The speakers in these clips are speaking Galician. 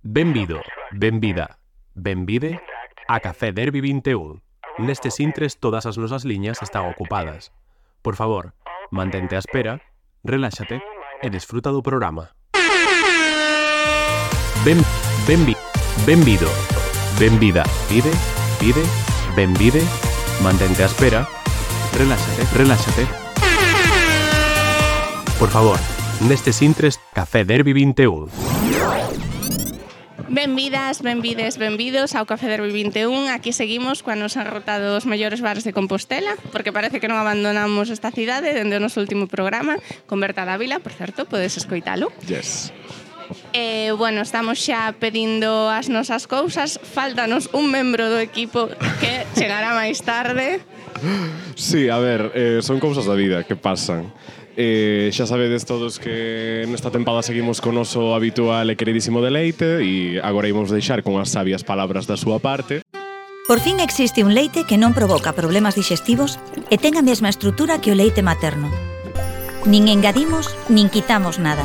Benvido, benvida, benvide a Café Derby 21. Nestes intres todas as nosas liñas están ocupadas. Por favor, mantente á espera, reláxate e desfruta do programa. Benvido, benvida, pide, benvide, mantente á espera, reláxate. Por favor, nestes intres Café Derby 21. Benvidas, benvides, benvidos ao Café Derby 21. Aquí seguimos cando nos han rotado os mellores bares de Compostela, porque parece que non abandonamos esta cidade dende o noso último programa con Berta Dávila, por certo, podes escoitalo. Yes. Bueno, estamos xa pedindo as nosas cousas. Fáltanos un membro do equipo que chegará máis tarde. Sí, a ver, son cousas da vida que pasan. Xa sabedes todos que nesta tempada seguimos con o noso habitual e queridísimo Deleite e agora imos deixar con as sabias palabras da súa parte. Por fin existe un leite que non provoca problemas digestivos e ten a mesma estrutura que o leite materno. Nin engadimos, nin quitamos nada.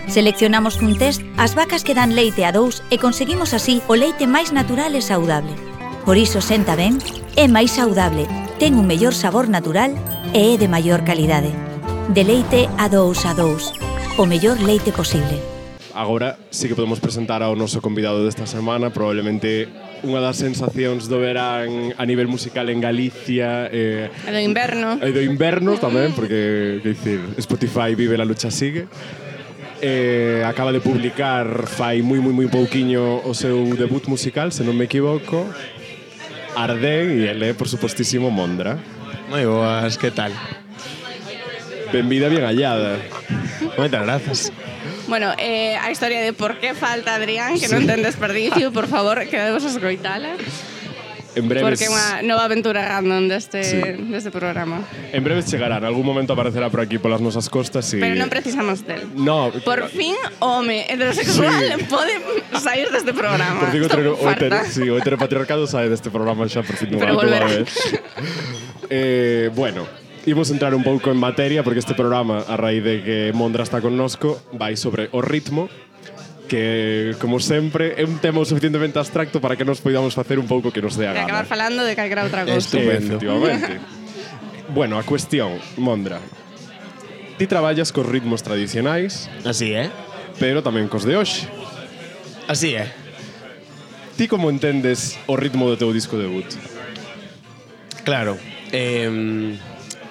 Seleccionamos cun test as vacas que dan leite a dous e conseguimos así o leite máis natural e saudable. Por iso senta ben, é máis saudable, ten un mellor sabor natural e é de maior calidade. De leite a dous, o mellor leite posible. Agora sí que podemos presentar ao noso convidado desta semana, probablemente unha das sensacións do verán a nivel musical en Galicia E do inverno. E do inverno tamén, porque, que dicir, Spotify vive, la lucha sigue. Acaba de publicar fai moi pouquiño o seu debut musical, se non me equivoco, Ardén, e ele é, por supostísimo, Mondra. Moi boas, que tal? Benvida, bien hallada. Moitas grazas. Bueno, a historia de por que falta Adrián, que non ten desperdicio, por favor, quedemos a escoitala. En breves, Porque é unha nova aventura random deste programa. En breves chegará, en algún momento aparecerá por aquí polas nosas costas e... Pero non precisamos del. No, Por fin, home heterosexual pode sair deste programa. por fin Estou farta. o heteropatriarcado sae deste programa xa por fin Pero dunha volverá. vez. Bueno, imos entrar un pouco en materia porque este programa, a raíz de que Mondra está connosco, vai sobre o ritmo, que, como sempre, é un tema o suficientemente abstracto para que nos poidamos facer un pouco que nos dé a E gana. acabar falando de calquera outra cousa. Estupendo. Efectivamente. Bueno, a cuestión, Mondra. Ti traballas cos ritmos tradicionais, Así é. pero tamén cos de hoxe. Así é. Ti como entendes o ritmo do teu disco debut? Claro.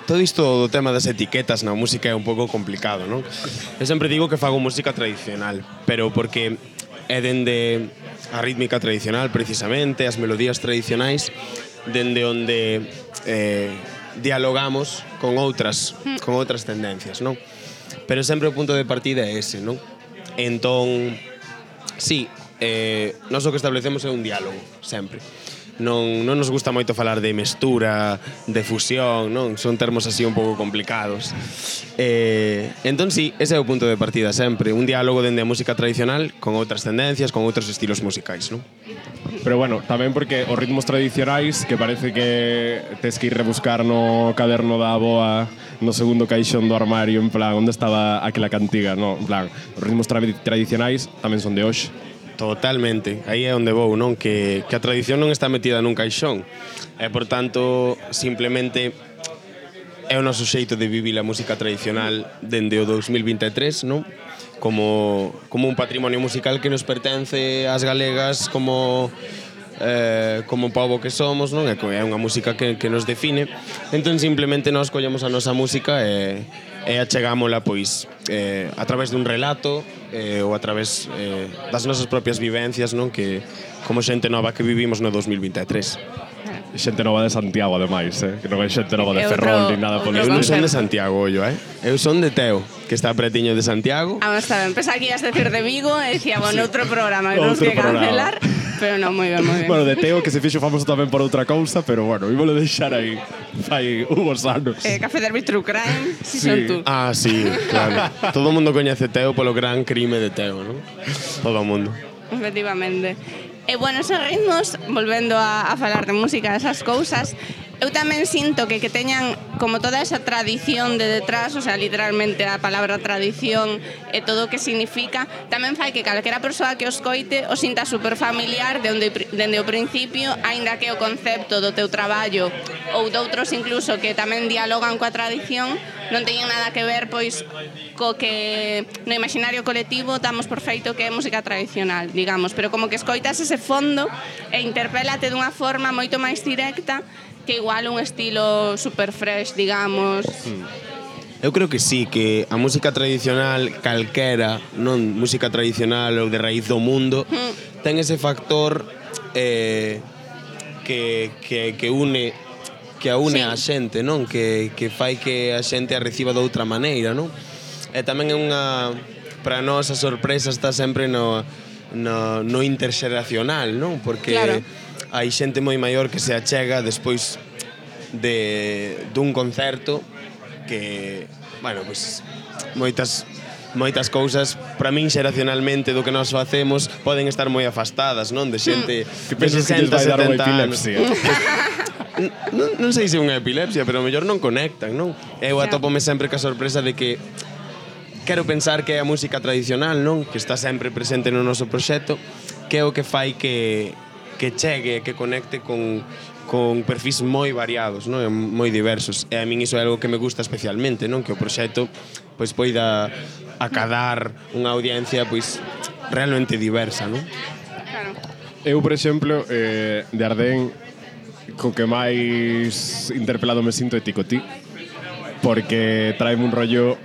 Todo isto do tema das etiquetas na música é un pouco complicado, non? Eu sempre digo que fago música tradicional, pero porque é dende a rítmica tradicional, precisamente, as melodías tradicionais, dende onde dialogamos con outras tendencias, non? Pero sempre o punto de partida é ese, non? Entón, sí, nós o que establecemos é un diálogo, sempre. Non nos gusta moito falar de mestura, de fusión, non? Son termos así un pouco complicados. Entón, sí, ese é o punto de partida sempre. Un diálogo dende a música tradicional con outras tendencias, con outros estilos musicais, non? Pero bueno, tamén porque os ritmos tradicionais, que parece que tes que ir rebuscar no caderno da aboa, no segundo caixón do armario, en plan, onde estaba aquela cantiga, no? En plan, os ritmos tradicionais tamén son de hoxe. Totalmente, aí é onde vou, non? Que a tradición non está metida nun caixón. E, por tanto, simplemente é o noso xeito de vivir a música tradicional dende o 2023, non? Como un patrimonio musical que nos pertence ás galegas como pobo que somos, non? É unha música que nos define. Entón, simplemente nós collemos a nosa música e achegámola, pois, a través dun relato ou a través das nosas propias vivencias, non? Que como xente nova que vivimos no 2023. Xente nova de Santiago, ademais, que non é xente nova de Ferrol nin nada polo Eu non son estilo. de Santiago, ollo, Eu son de Teo, que está pretiño de Santiago. Vamos a ver, empezá aquí a decir de Vigo e dicíamos outro programa que temos Outro que cancelar. programa. Pero non, moi ben. Bueno, de Teo, que se fixo famoso tamén por outra cousa, pero bueno, ímolo deixar aí. Fai unhos anos. Café Derby True Crime, si Sí. son tú. Ah, sí, claro. Todo o mundo coñece Teo polo gran crime de Teo, non? Todo o mundo. Efectivamente. E bueno, esos ritmos, volvendo a falar de música, esas cousas, eu tamén sinto que teñan como toda esa tradición de detrás, o sea, literalmente a palabra tradición e todo o que significa, tamén fai que calquera persoa que os coite o sinta super familiar dende o principio, aínda que o concepto do teu traballo ou doutros incluso que tamén dialogan coa tradición non teñen nada que ver pois co que no imaginario colectivo damos por feito que é música tradicional, digamos, pero como que escoitas ese fondo e interpélate dunha forma moito máis directa que igual un estilo super fresh, digamos. Eu creo que sí, que a música tradicional calquera, non música tradicional ou de raíz do mundo, ten ese factor que une Sí. a xente, non? Que fai que a xente a reciba de outra maneira, non? E tamén é unha... Para nós a sorpresa está sempre no interxeracional, non? Porque Claro. hai xente moi maior que se achega despois dun concerto que, bueno, pois moitas cousas para min xeracionalmente do que nós facemos poden estar moi afastadas, non? De xente Que pensas que lles vai dar unha epilepsia? Non sei se é unha epilepsia, pero mellor non conectan, non? Eu atópome sempre ca sorpresa de que quero pensar que é a música tradicional, non? Que está sempre presente no noso proxecto, que é o que fai que chegue, que conecte con perfis moi variados, non? Moi diversos. E a min iso é algo que me gusta especialmente, non? Que o proxecto pois poida acadar unha audiencia pois realmente diversa, non? Claro. Eu, por exemplo, de Ardén, co que máis interpelado me sinto é Ticotí, porque traeme un rollo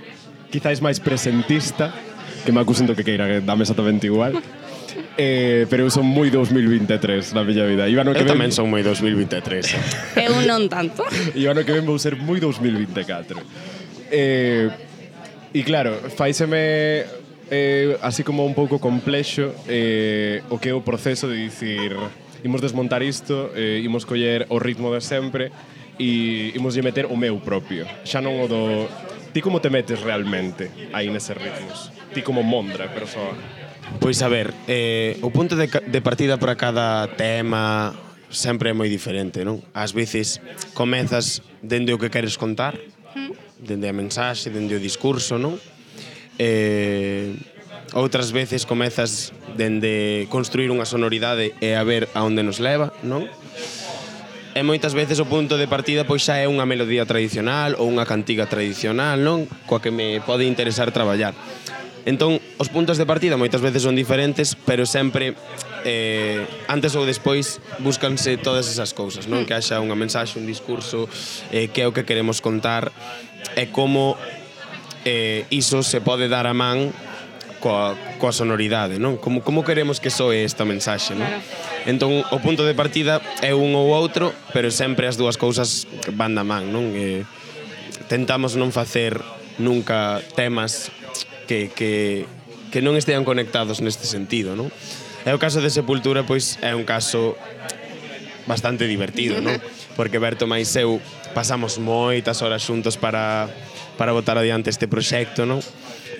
quizáis máis presentista, que me acusen do que queira, que dame exactamente igual. Pero eu son moi 2023 na miña vida. Eu tamén son moi 2023. Eu non tanto. E o ano que ven vou ser moi 2024. E claro, faiseme así como un pouco complexo o que é o proceso de dicir imos desmontar isto, imos coller o ritmo de sempre e imos lle meter o meu propio. Xa non o do... Ti como te metes realmente aí neses ritmos? Ti como Mondra, persoa? Pois a ver, o punto de partida para cada tema sempre é moi diferente, non? Ás veces comezas dende o que queres contar, dende a mensaxe, dende o discurso, non? Outras veces comezas dende construir unha sonoridade e a ver a onde nos leva, non? E moitas veces o punto de partida pois xa é unha melodía tradicional ou unha cantiga tradicional, non? Coa que me pode interesar traballar. Entón, os puntos de partida moitas veces son diferentes, pero sempre antes ou despois búscanse todas esas cousas, non? Que haxa unha mensaxe, un discurso, que é o que queremos contar e como iso se pode dar a man coa sonoridade, non? Como queremos que soe esta mensaxe, non? Entón, o punto de partida é un ou outro, pero sempre as dúas cousas van da man, non? Tentamos non facer nunca temas que non estean conectados neste sentido, non? E o caso de Sepultura, pois, é un caso bastante divertido, non? Porque Berto máis eu pasamos moitas horas xuntos para botar adiante este proxecto, non?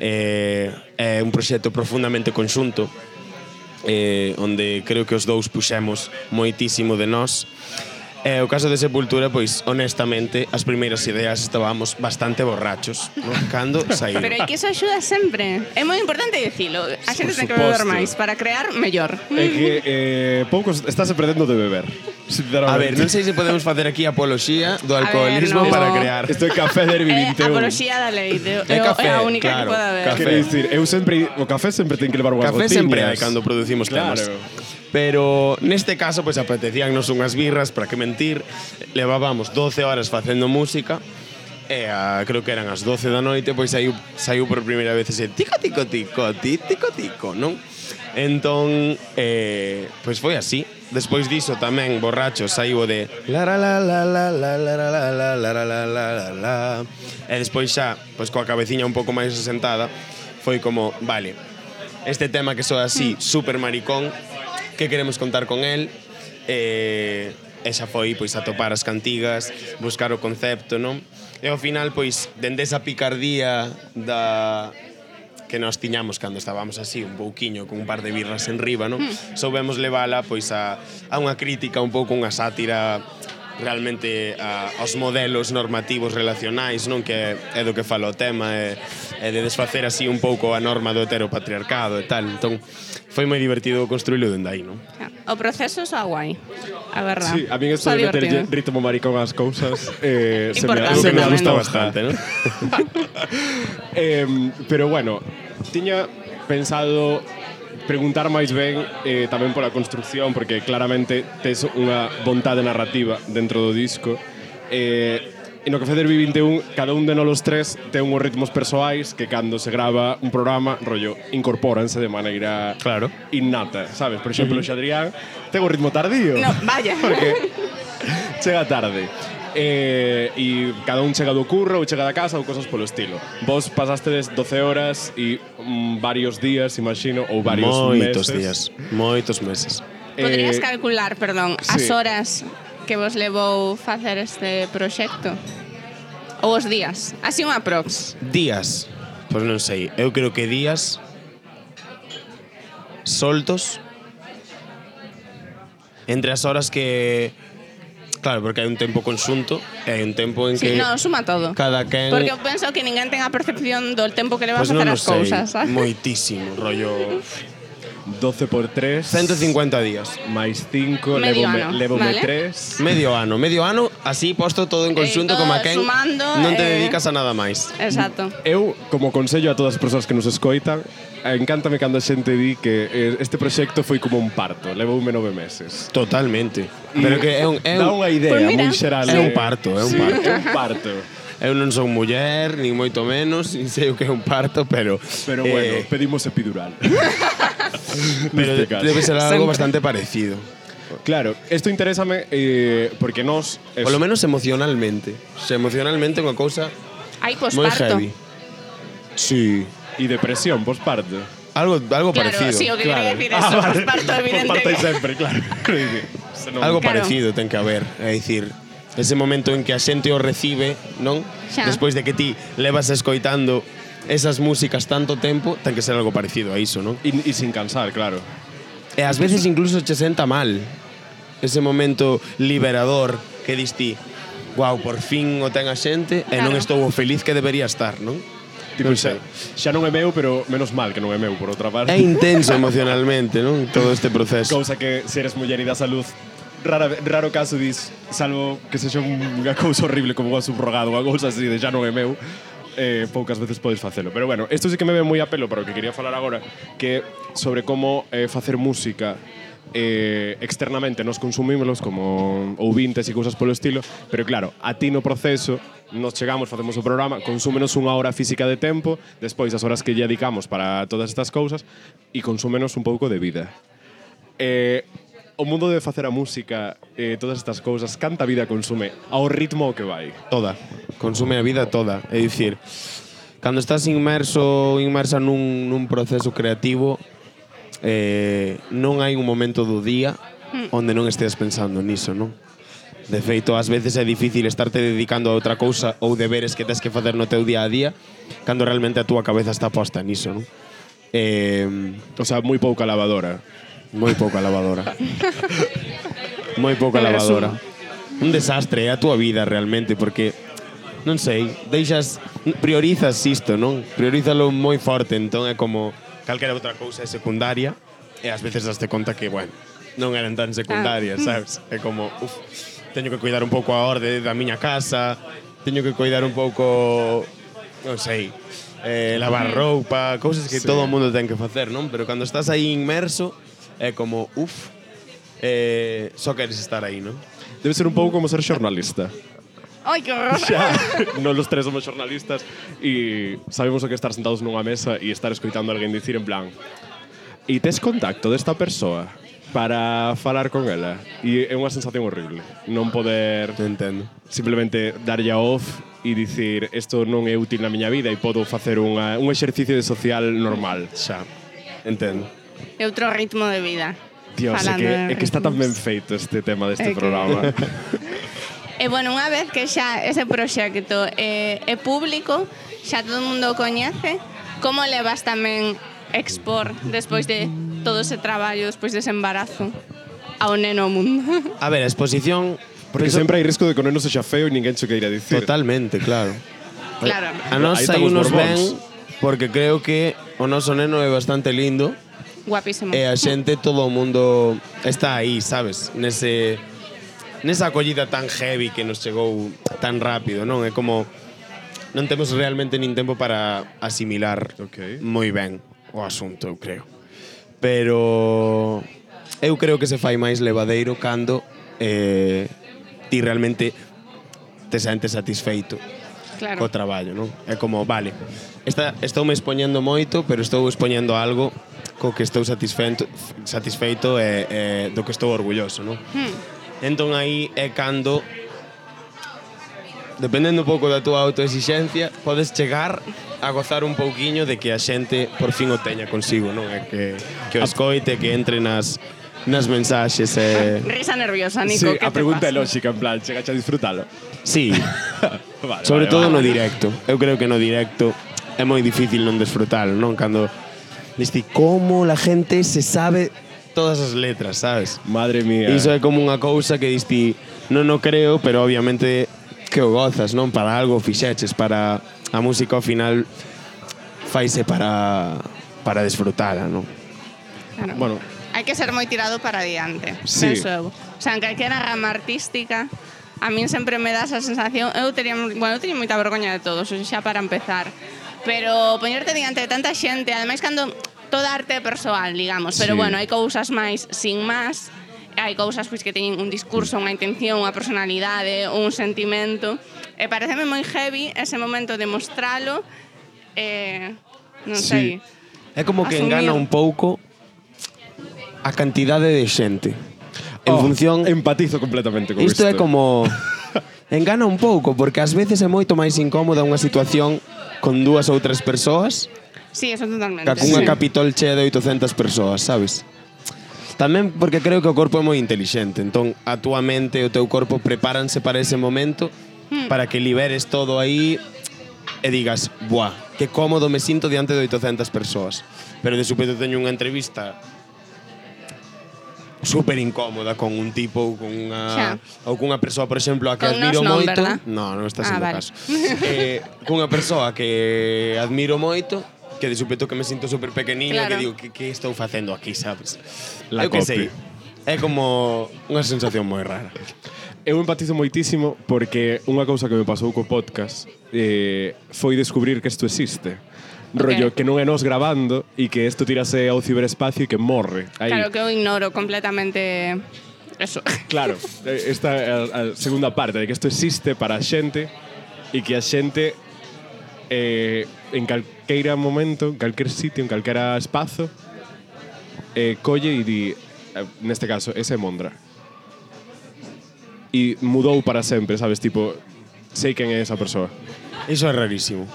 É un proxecto profundamente conxunto, onde creo que os dous puxemos moitísimo de nós. O caso de Sepultura, pois, honestamente, as primeiras ideas estábamos bastante borrachos, non? Cando saíron. Pero é que iso axuda sempre. É moi importante dicilo. A xente ten que beber máis para crear mellor. É que poucos estás perdendo de beber. A ver, non sei se podemos facer aquí apoloxía do alcoholismo no. para crear. Isto é Café Derby 21. Apoloxía da lei. É café, é a única claro, que pode haber. café. Quero dicir, eu sempre o café sempre ten que levar unhas Café gotiñas. sempre hai cando producimos temas. Claro. Pero neste caso, pois apetecíannos unhas birras, para que mentir. Levábamos 12 horas facendo música e creo que eran as 12 da noite, pois saiu por primeira vez ese tico tico tico, tico tico, non? Entón, pois foi así. Despois diso tamén, borracho, saiu o de la la la la la la la la la la la la la la. E despois xa, pois coa cabeciña un pouco máis asentada, foi como, vale, este tema que soa así, super maricón, que queremos contar con el? E xa foi, pois, atopar as cantigas, buscar o concepto, non? E ao final, pois, dende esa picardía que nós tiñamos cando estábamos así un pouquiño con un par de birras en riba, non? Soubemos levala pois a unha crítica, un pouco unha sátira realmente aos modelos normativos relacionais, non, que é do que fala o tema, é de desfacer así un pouco a norma do heteropatriarcado e tal. Entón, foi moi divertido construílo dende aí, non? O proceso é guai, a verdad. Sí, a mí esto de meterlle ritmo maricón ás cousas se Importante me tamén. gusta bastante, non? Pero bueno, tiña pensado preguntar máis ben tamén pola construcción, porque claramente tes unha vontade narrativa dentro do disco. E no Café Derby 21, cada un de nós tres ten uns ritmos persoais que cando se grava un programa, rollo, incorpóranse de maneira innata, sabes? Por exemplo, o Xadrián ten un ritmo tardío. No, vaya. Porque chega tarde. E cada un chega do curro ou chega da casa ou cosas polo estilo. Vos pasastedes 12 horas e varios días, imagino, ou varios meses. Moitos meses. Poderías calcular, perdón, sí, as horas que vos levou facer este proxecto? Ou os días? Así un aprox. Días? Pois non sei. Eu creo que días soltos entre as horas que... Claro, porque hai un tempo conxunto e hai un tempo en que... Sí, no, suma todo. Cada quen... Porque eu penso que ninguén ten a percepción do tempo que leva a Pues facer non as cousas, sabes? Moitísimo, rollo... 12 por 3... 150 días. máis 5, Medio ano, levome vale. 3... Medio ano, así posto todo en conxunto, todo como a quen sumando, non te dedicas a nada máis. Exacto. Eu, como consello a todas as persoas que nos escoitan, encántame cando a xente di que este proxecto foi como un parto, levoume 9 meses. Totalmente. Pero que é un Dá unha idea Pues mira, moi xeral. é un parto, é un Sí, parto. é un parto. Eu non son muller, nin moito menos, nin sei o que é un parto, pero... Pero bueno, pedimos epidural. pero Neste caso. debe ser algo Sempre. bastante parecido. Claro, isto interésame porque nós... Por lo menos emocionalmente. Se emocionalmente é unha cousa Hai moi posparto. heavy. Sí. E depresión, posparto. Algo Claro, parecido. sí, o que quería decir eso, posparto, evidente. Posparto que- sempre, claro. Algo Claro. parecido ten que haber, é dicir, ese momento en que a xente o recibe, non? Xa. Despois de que ti levas escoitando esas músicas tanto tempo, ten que ser algo parecido a iso, non? E sin cansar, claro. E ás veces incluso che senta mal ese momento liberador que dis ti, guau, por fin o ten a xente e non Claro. estou o feliz que debería estar, non? Tipo, Non sei. xa non é meu, pero menos mal que non é meu, por outra parte. É intenso emocionalmente, non? Todo este proceso. Cousa que se eres muller e da salud raro caso dis, salvo que sexa unha cousa horrible como unha subrogado, unha cousa así de xa non é meu, poucas veces podes facelo. Pero bueno, isto sí que me ve moi a pelo para o que quería falar agora, que sobre como facer música externamente nos consumímolos como ouvintes e cousas polo estilo, pero claro, a ti no proceso nos chegamos, facemos o programa, consúmenos unha hora física de tempo, despois as horas que lle dedicamos para todas estas cousas e consúmenos un pouco de vida. O mundo de facer a música, todas estas cousas, canta vida consume ao ritmo ao que vai? Toda. Consume a vida toda. É dicir, cando estás inmersa nun proceso creativo, non hai un momento do día onde non estés pensando niso, non? De feito, ás veces é difícil estarte dedicando a outra cousa ou deberes que tes que facer no teu día a día cando realmente a túa cabeza está posta niso, non? O sea, moi pouca lavadora. Moi pouca lavadora. Moi pouca lavadora. Un desastre é a túa vida realmente porque non sei, priorizas isto, non? Priorízalo moi forte, entón é como calquera outra cousa é secundaria e ás veces daste conta que, bueno, non eran tan secundarias, sabes? É como, teño que cuidar un pouco a orde da miña casa, teño que cuidar un pouco, non sei, lavar roupa, cousas que todo o mundo ten que facer, non? Pero cando estás aí inmerso, é como, só queres estar aí, non? Debe ser un pouco como ser xornalista. Ai, que horror. Xa, non los tres somos xornalistas e sabemos o que estar sentados nunha mesa e estar escoitando a alguén dicir en plan e tes contacto desta persoa para falar con ela e é unha sensación horrible non poder Entendo. simplemente darlle a off e dicir isto non é útil na miña vida e podo facer un exercicio de social normal. Xa, entendo. É outro ritmo de vida. Dios, é que está tan ben feito este tema deste programa. E bueno, unha vez que xa ese proxecto é público, xa todo o mundo o coñece, como levas tamén expor despois de todo ese traballo, despois dese embarazo, ao neno ao mundo? A ver, a exposición Porque sempre hai risco de que o neno sexa feo e ninguén che queira dicir. Totalmente, claro. Claro. A nós Aí están aí os nos borbóns. ven porque creo que o noso neno é bastante lindo Guapísimo. e a xente, todo o mundo está aí, sabes? Nesa acollida tan heavy que nos chegou tan rápido, non? É como non temos realmente nin tempo para asimilar moi ben o asunto, eu creo. Pero eu creo que se fai máis levadeiro cando ti realmente te sentes satisfeito Claro. co traballo, non? É como, vale, estou me expoñendo moito, pero estou expoñendo algo co que estou satisfeito e do que estou orgulloso, non? Entón aí é cando, dependendo un pouco da túa autoexixencia, podes chegar a gozar un pouquiño de que a xente por fin o teña consigo, non? É que o escoite, que entre nas mensaxes e... Risa nerviosa, Nico. Sí, ¿qué a te pregunta é pasa? lógica, en plan, chegache a disfrutalo. Sí, Vale, sobre vale, todo vale. no directo. Eu creo que no directo é moi difícil non desfrutalo, non? Cando diste como la gente se sabe todas as letras, sabes? Madre mía. Iso é como unha cousa que diste non o creo, pero obviamente que o gozas, non? Para algo fixeches, para a música ao final faise para desfrutala, non? Claro. Bueno, Hai que ser moi tirado para adiante. Sí. Penso eu. O sea, en calquera rama artística, a min sempre me dá esa sensación. Eu tería moita vergoña de todo, xa para empezar. Pero poñerte diante de tanta xente, ademais cando toda arte é persoal, digamos, pero Sí. bueno, hai cousas máis sin más, hai cousas pois que teñen un discurso, unha intención, unha personalidade, un sentimento. E pareceme moi heavy ese momento de mostralo, non Sí. sei. É como que Asumir. engana un pouco a cantidade de xente. En función... Empatizo completamente con Isto é como... engana un pouco, porque ás veces é moito máis incómoda unha situación con 2 ou 3 persoas Sí, eso totalmente. que cunha Sí. capitol chea de 800 persoas, sabes? Tamén porque creo que o corpo é moi intelixente, entón a túa mente e o teu corpo prepáranse para ese momento para que liberes todo aí e digas, buah, que cómodo me sinto diante de 800 persoas. Pero de súpeto teño unha entrevista super incómoda con un tipo ou con unha ou cunha persoa, por exemplo, a que Con admiro nos non, moito. verdad? No, non está Ah, sendo vale. caso. Cunha persoa que admiro moito, que de súpeto que me sinto super pequeniño, Claro. que digo, que estou facendo aquí, sabes? La Eu que copy. sei. É como unha sensación moi rara. Eu empatizo moitísimo porque unha cousa que me pasou co podcast foi descubrir que isto existe. Rollo, que non é nos grabando e que isto tirase ao ciberespacio e que morre. Aí. Claro que eu ignoro completamente eso. Claro, esta é a segunda parte, de que isto existe para a xente e que a xente en calqueira momento, en calquer sitio, en calquera espazo, colle e di, neste caso, ese é Mondra. E mudou para sempre, sabes? Tipo, sei quen é esa persoa. Iso é rarísimo.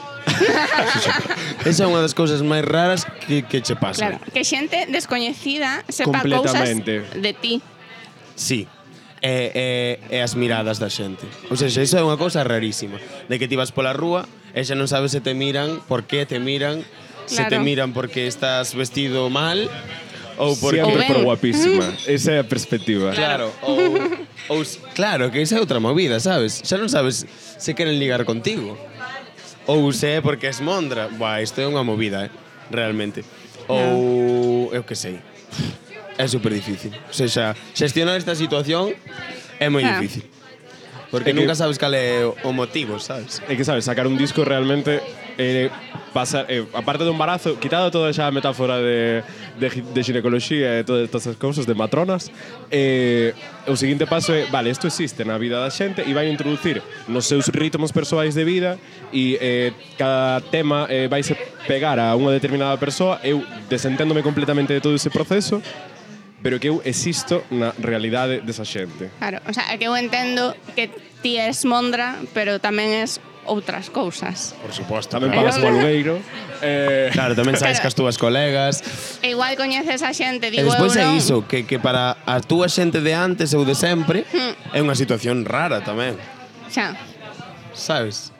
Esa é unha das cousas máis raras que che pasan. Claro, que xente descoñecida sepa cousas Completamente. de ti. Sí. E as miradas da xente. Ou seja, iso é unha cousa rarísima. De que ti vas pola rúa e xa non sabes se te miran, por que te miran, se te Claro. miran porque estás vestido mal ou porque... Siempre ben. por guapísima. Esa é a perspectiva. Claro, claro, que esa é outra movida, sabes? Xa non sabes se queren ligar contigo. Ou se é porque es Mondra. Buah, isto é unha movida, realmente. Ou eu que sei. É super difícil. O sea, xestionar esta situación é moi Ah. difícil. Porque É que- nunca sabes cal é o motivo, sabes? É que, sabes, sacar un disco realmente pasar, aparte do embarazo, quitado toda esa metáfora de ginecoloxía e todas estas cousas de matronas, o seguinte paso é, vale, isto existe na vida da xente e vai introducir nos seus ritmos persoais de vida e cada tema vaise pegar a unha determinada persoa, eu desenténdome completamente de todo ese proceso, pero que eu existo na realidade desa xente. Claro, o sea, é que eu entendo que ti es Mondra, pero tamén es outras cousas. Por suposto. Tamén pagas o alugueiro. Claro, tamén sabes que as túas colegas. E igual coñeces a xente, E digo despois eu é non. iso, que para a túa xente de antes ou de sempre é unha situación rara tamén. Xa. Sabes?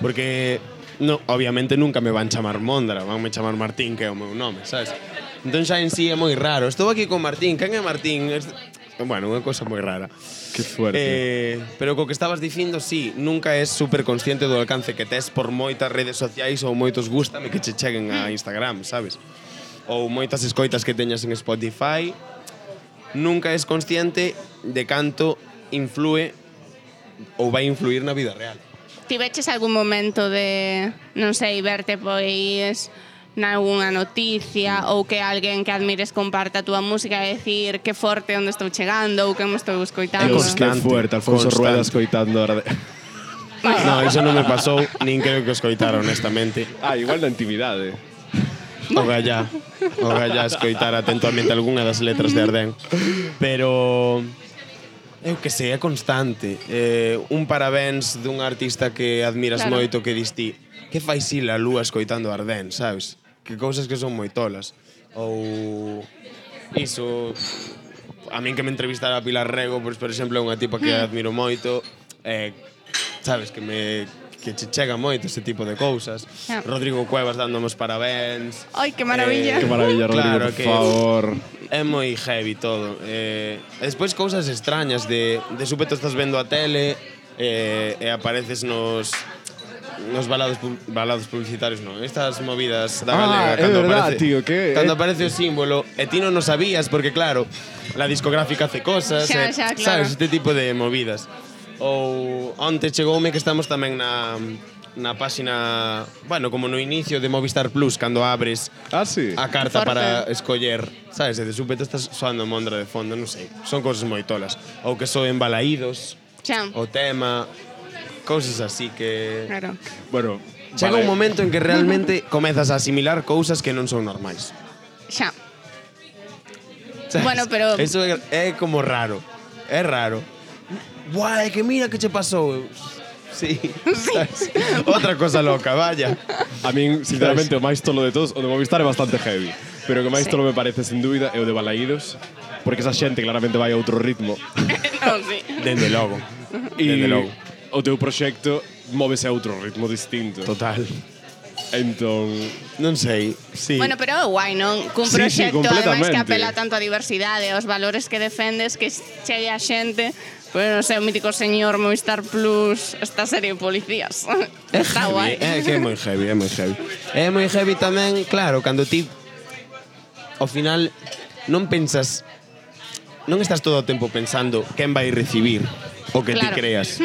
Porque no, obviamente nunca me van chamar Mondra, vanme chamar Martín, que é o meu nome, sabes? Entón xa en sí é moi raro. Estou aquí con Martín, quen é Martín? Bueno, unha cosa moi rara. Que fuerte. Pero co que estabas dicindo, sí, nunca és super consciente do alcance que tes por moitas redes sociais ou moitos gústame que che cheguen a Instagram, sabes? Ou moitas escoitas que teñas en Spotify. Nunca és consciente de canto influe ou vai influir na vida real. Tiveches algún momento de, non sei, verte pois nalgúna noticia ou que alguén que admires comparta a túa música e decir que forte onde estou chegando ou que me estou escoitando? Dios, que fuerte, Alfonso Rueda escoitando Arden. No, iso non me pasou, nin creo que o escoitara, honestamente. Igual na intimidade. O gallá escoitar atentamente algunha das letras de Ardén. Pero eu que sei, é constante. Un parabéns dun artista que admiras moito que dis ti. Que fai si la lúa escoitando Ardén, sabes? Que cousas que son moi tolas. Ou iso, a min que me entrevistara a Pilar Rego, pois, por exemplo, é unha tipa que admiro moito, sabes, que che chega moito ese tipo de cousas. Rodrigo Cuevas dándome os parabéns. Ai, que maravilla. Que maravilla, Rodrigo, claro, por favor. É moi heavy todo. Despois cousas extrañas de súpeto estás vendo a tele e apareces nos balados publicitarios, non. Estas movidas da galega é verdad, tío, que cando aparece o símbolo e ti non o sabías porque claro, la discográfica hace cosas, Xa, claro. sabes, este tipo de movidas. Ou onte chegoume que estamos tamén na páxina, bueno, como no inicio de Movistar Plus, cando abres sí. a carta Forte. para escoller, sabes, e de súpeto estás soando Mondra de fondo, non sei, son cousas moi tolas. Ou que soen balaídos, Xa. o tema, cousas así que... Claro. Bueno, Chega un momento en que realmente comezas a asimilar cousas que non son normais. Xa. ¿Sabes? Bueno, pero- Eso é como raro. É raro. Buah, é que mira que che pasou. Sí. ¿Sabes? Outra cosa loca, vaya. a min, sinceramente, o máis tolo de todos, o de Movistar é bastante heavy. Pero o que máis Sí. tolo me parece, sin dúbida, é o de Balaídos, porque esa xente claramente vai a outro ritmo. Non, sí. Dende logo. E Dende logo. o teu proxecto móvese a outro ritmo distinto. Total. Entón, Non sei. Sí. Bueno, pero é guai, non? Cun Sí, sí, proxecto, ademais, que completamente. apela tanto á diversidade, aos valores que defendes, que chegue a xente, pois, non sei, o mítico señor Movistar Plus, esta serie de policías. Está guai. É que é moi heavy, é moi heavy. É moi heavy tamén, claro, cando ti ao final non pensas, non estás todo o tempo pensando quen vai recibir o que ti Claro. creas.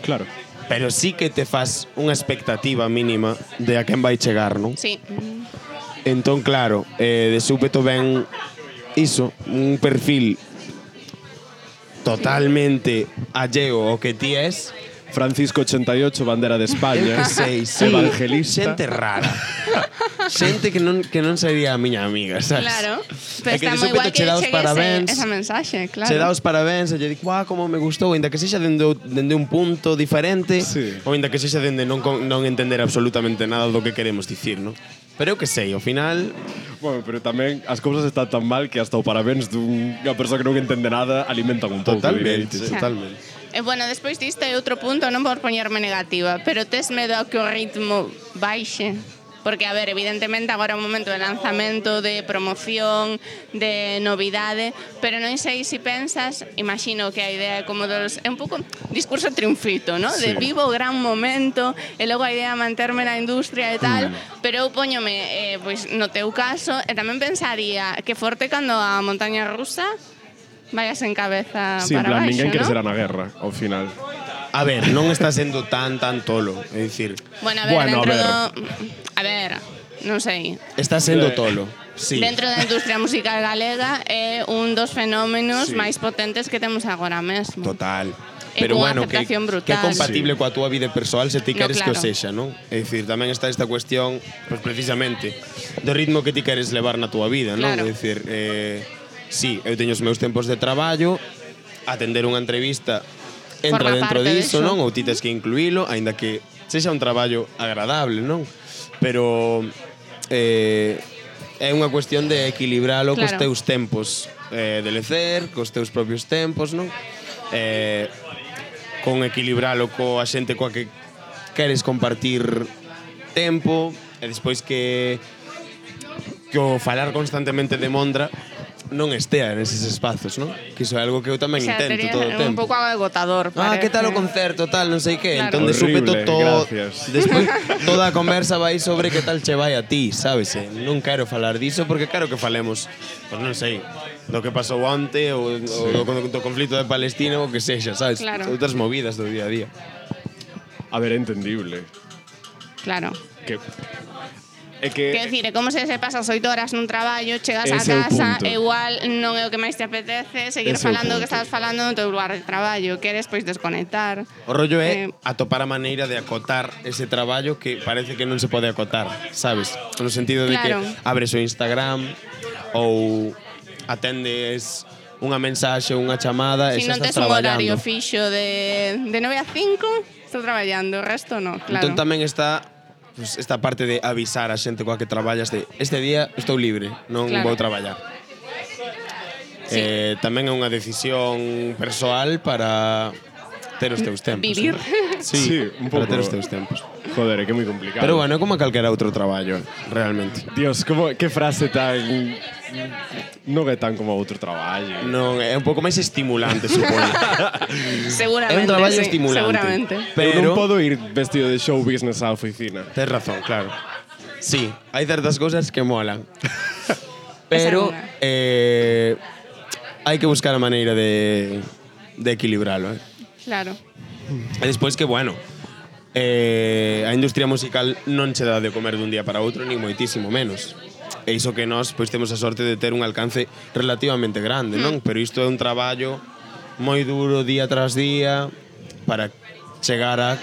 claro. Pero sí que te fas unha expectativa mínima de a quen vai chegar, non? Sí. Entón, claro, de súpeto ven iso, un perfil totalmente alleo ao que ti es. Francisco 88, bandera de España. Eu que sei, sí. Evangelista. Xente rara. Xente que non sería a miña amiga, sabes? Claro. É Pero que está de moi guai súpeto que che dá os chegue parabéns. esa mensaxe, claro. Se dá os parabéns e lle digo, como me gustou, ainda que sexa dende un punto diferente, Sí. ou ainda que sexa dende non entender absolutamente nada do que queremos dicir, non? Pero eu que sei, ao final, Bueno, pero tamén as cousas están tan mal que hasta o parabéns dunha persoa que non entende nada alimentan un pouco. totalmente, direitos. totalmente. Bueno, despois disto é outro punto, non por poñerme negativa, pero tes medo a que o ritmo baixe? Porque, a ver, evidentemente agora é un momento de lanzamento, de promoción, de novidade, pero non sei se pensas, imagino que a idea é como dos... É un pouco discurso triunfito, ¿no? Sí. De vivo o gran momento, e logo a idea de manterme na industria e tal, pero eu poñome, pois, no teu caso, e tamén pensaría que forte cando a montaña rusa vayas en cabeza Sí, en para plan, baixo, ninguén quere ¿no? ser na guerra, ao final. A ver, non está sendo tan tolo, é dicir, Bueno, a ver, Bueno, a dentro ver. A ver, non sei. está sendo tolo. Sí. Dentro da industria musical galega é un dos fenómenos Sí. máis potentes que temos agora mesmo. Total. E Pero cunha bueno, que aceptación brutal. é compatible coa túa vida persoal se ti No, queres que o claro. sexa, non? É dicir, tamén está esta cuestión, pues precisamente, do ritmo que ti queres levar na túa vida, non? Claro. É dicir, sí, eu teño os meus tempos de traballo, atender unha entrevista entra Forma dentro parte diso, diso. non? Ou ti tes que incluílo, aínda que sexa un traballo agradable, non? Pero é unha cuestión de equilibralo cos Claro. teus tempos de lecer, cos teus propios tempos, non? Con equilibralo coa xente coa que queres compartir tempo e despois que o falar constantemente de Mondra non estea neses espazos, non? Que iso é algo que eu tamén O sea, intento tería todo o tempo. un pouco agotador. Que tal o parece. concerto, tal, non sei que. Claro. Entón de súpeto Horrible, todo. gracias. Despois toda a conversa vai sobre que tal che vai a ti, sabes? Non quero falar diso porque quero que falemos, pois non sei, do que pasou onte ou do conflito de Palestina ou que sexa, sabes? Claro. Outras movidas do día a día. A ver, é entendible. Claro. Que... É que... Quero dicir, é como se pasas 8 horas nun traballo, chegas a Ese é o casa punto. e igual non é o que máis te apetece seguir Ese é o falando o que punto. estabas falando no teu lugar de traballo, queres pois desconectar. O rollo é atopar a maneira de acotar ese traballo que parece que non se pode acotar, sabes? No sentido de Claro. que abres o Instagram ou atendes unha mensaxe ou unha chamada e Si xa non estás tes un horario traballando. fixo de 9 a 5, estou traballando, o resto no, claro. Entón tamén está pues, esta parte de avisar a xente coa que traballas de este día estou libre, non Claro. vou traballar. Sí. Tamén é unha decisión persoal para ter os teus tempos. Vivir. ¿no? Sí, un para pouco. ter os teus tempos. Joder, é que é moi complicado. Pero bueno, é como calquera outro traballo, realmente. Dios, que frase tan... Non é tan como outro traballo. Non, é un pouco máis estimulante, supoño. Seguramente, É un traballo sí, estimulante. seguramente. Pero Pero non podo ir vestido de show business á oficina. tes razón, claro. Sí, hai certas cousas que molan. Pero hai que buscar a maneira de equilibralo, Claro. E despois que, bueno, a industria musical non che dá de comer dun día para outro, nin moitísimo menos. E iso que nós pois temos a sorte de ter un alcance relativamente grande, non? Pero isto é un traballo moi duro día tras día para chegar a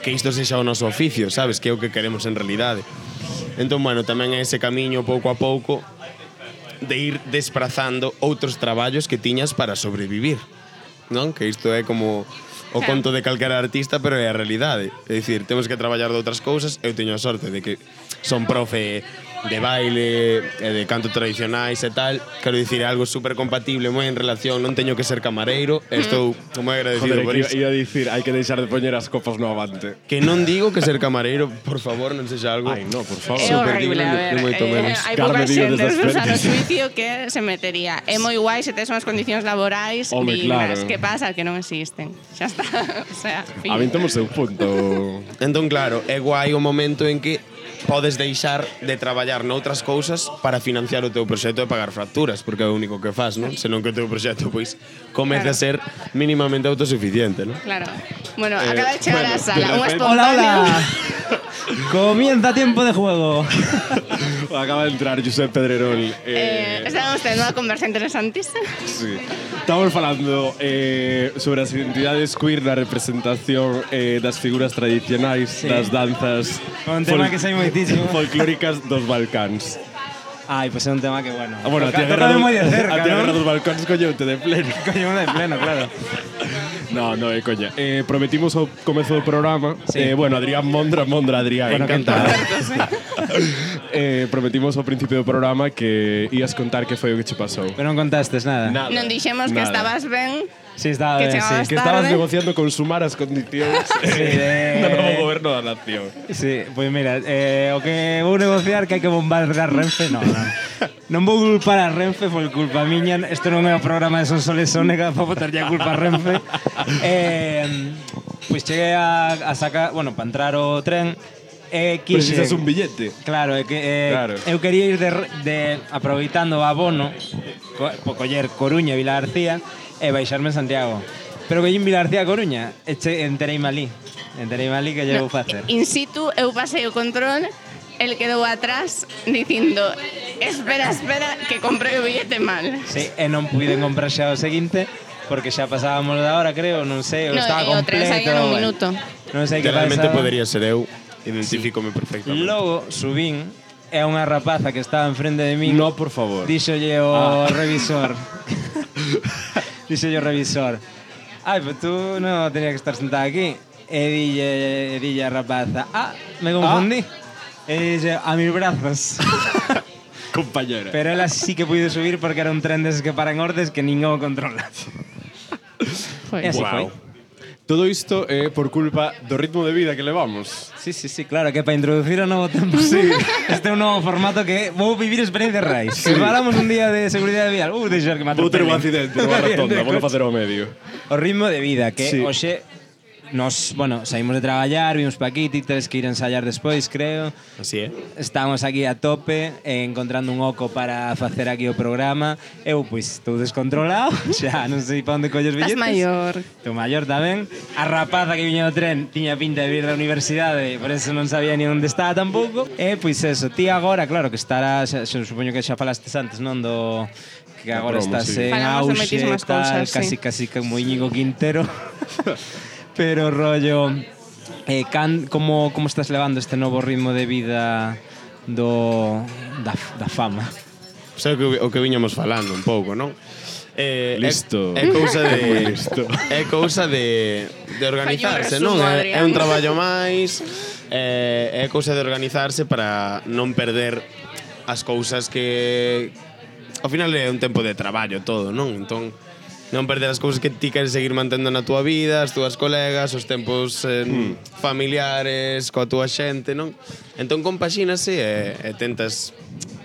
que isto sexa o noso oficio, sabes? Que é o que queremos en realidade. Entón, bueno, tamén é ese camiño pouco a pouco de ir desprazando outros traballos que tiñas para sobrevivir, non? Que isto é como o conto de calquera artista, pero é a realidade. É dicir, temos que traballar de outras cousas. Eu teño a sorte de que son profe de baile e de canto tradicionais e tal. Quero dicir, é algo super compatible, moi en relación, non teño que ser camareiro, e estou moi agradecido Joder, por que iso. iba a dicir, hai que deixar de poñer as copas no avante. Que non digo que ser camareiro, por favor, non sexa algo. Ai, no, por favor. É Super horrible, digno a de ver, moito menos. hai Carme pouca Díaz xente desde despois a frente. suicio que se metería. É moi guai se tes unhas condicións laborais Home, dignas. claro. Que pasa? Que non existen. Xa está. O sea, fin. A mí temos seu punto. Entón, claro, é guai o momento en que podes deixar de traballar noutras cousas para financiar o teu proxecto e pagar facturas, porque é o único que faz, non? Senón que o teu proxecto, pois, comece a ser mínimamente autosuficiente, non? Claro. Bueno, acaba de chegar bueno, a sala. de Un repente- espontáneo. Hola, hola. Comienza tiempo de juego. Acaba de entrar Josep Pedrerol. Estamos tendo unha conversa interesantísima. Sí. Estamos falando sobre as identidades queer na representación das figuras tradicionais, das danzas Un tema que sei moitísimo. folclóricas dos Balcáns. Ai, pois é un tema que, bueno. Bueno, a ti a Tócame guerra, moi de cerca, a ti a guerra ¿no? dos Balcáns colleute de pleno. Coño, de pleno, claro. No, no, é coña. Prometimos ao comezo do programa. Sí. Bueno, Adrián Mondra, Adrián. Bueno, encantado. encantado. Prometimos ao principio do programa que ías contar que foi o que che pasou. Pero non contastes nada. Nada. Non dixemos que Nada. estabas ben. Sí, estaba Que ben, chegabas sí. Que estabas tarde. negociando con sumar as condicións de- do novo goberno da nación. Sí, pois mira, o que vou negociar que hai que bombardear Renfe, non. Non vou culpar a Renfe, foi culpa miña. Isto non é o programa de Sonsoles Sónega para botarlle a culpa a Renfe. Pois cheguei a sacar, bueno, para entrar o tren, quixe... Precisas un billete. Claro, é que Claro. eu quería ir de aproveitando o abono, coller Coruña e Vila García e baixarme en Santiago. Pero collín Vila García a Coruña e entereime ali. Entereime ali que lle vou facer. In situ, eu pasei o control, el quedou atrás dicindo espera, que comprei o billete mal. Sí, e non puiden comprar xa o seguinte porque xa pasábamos da hora, creo, non sei, No, estaba e o tren completo. saía nun bueno. minuto. Non sei que Realmente pasaba. podería ser eu, identifícome perfectamente. Logo subín e unha rapaza que estaba enfrente de min. No, por favor. Díxolle o revisor. Díxolle o revisor. Ai, pues tú non tenías que estar sentada aquí. E dille a rapaza. Me confundí. E dille, a mis brazos. Compañera. Pero ela sí que puide subir porque era un tren deses que para en ordes que ningún controla. Foi. E así Guau. foi. Todo isto é por culpa do ritmo de vida que levamos. Sí, claro, que para introducir o novo tempo. Sí. Este é un novo formato que vou vivir experiencias reais. Se falamos un día de seguridade vial, deixar que me Vou ter un atropelen. accidente nunha rotonda, vou facer ao medio. O ritmo de vida, que Sí. hoxe nos, saímos de traballar, vimos pa aquí, ti teres que ir a ensayar despois, creo. Así é. Estamos aquí a tope, encontrando un oco para facer aquí o programa. Eu, pois, estou descontrolado, xa non sei pa onde colles Estás billetes. maior. Estou maior tamén. A rapaza que viña no tren tiña pinta de vir da universidade, por eso non sabía ni onde estaba tampouco. E, pois eso, ti agora, claro, que estarás, supoño que xa falastes antes, non, do que agora promo, estás sí. en Falamos de auxe, moitísimas tal, cousas, sí. casi como Íñigo Quintero. Pero rollo, como estás levando este novo ritmo de vida da fama? Sei o que viñamos falando un pouco, non? Listo. É cousa Moi de listo. é cousa de organizarse, Fai un non? resumo, É un Adrián. traballo máis, é cousa de organizarse para non perder as cousas que ao final é un tempo de traballo todo, non? Entón non perder as cousas que ti queres seguir mantendo na túa vida, as túas colegas, os tempos familiares, coa túa xente, non? Entón compaxínase e tentas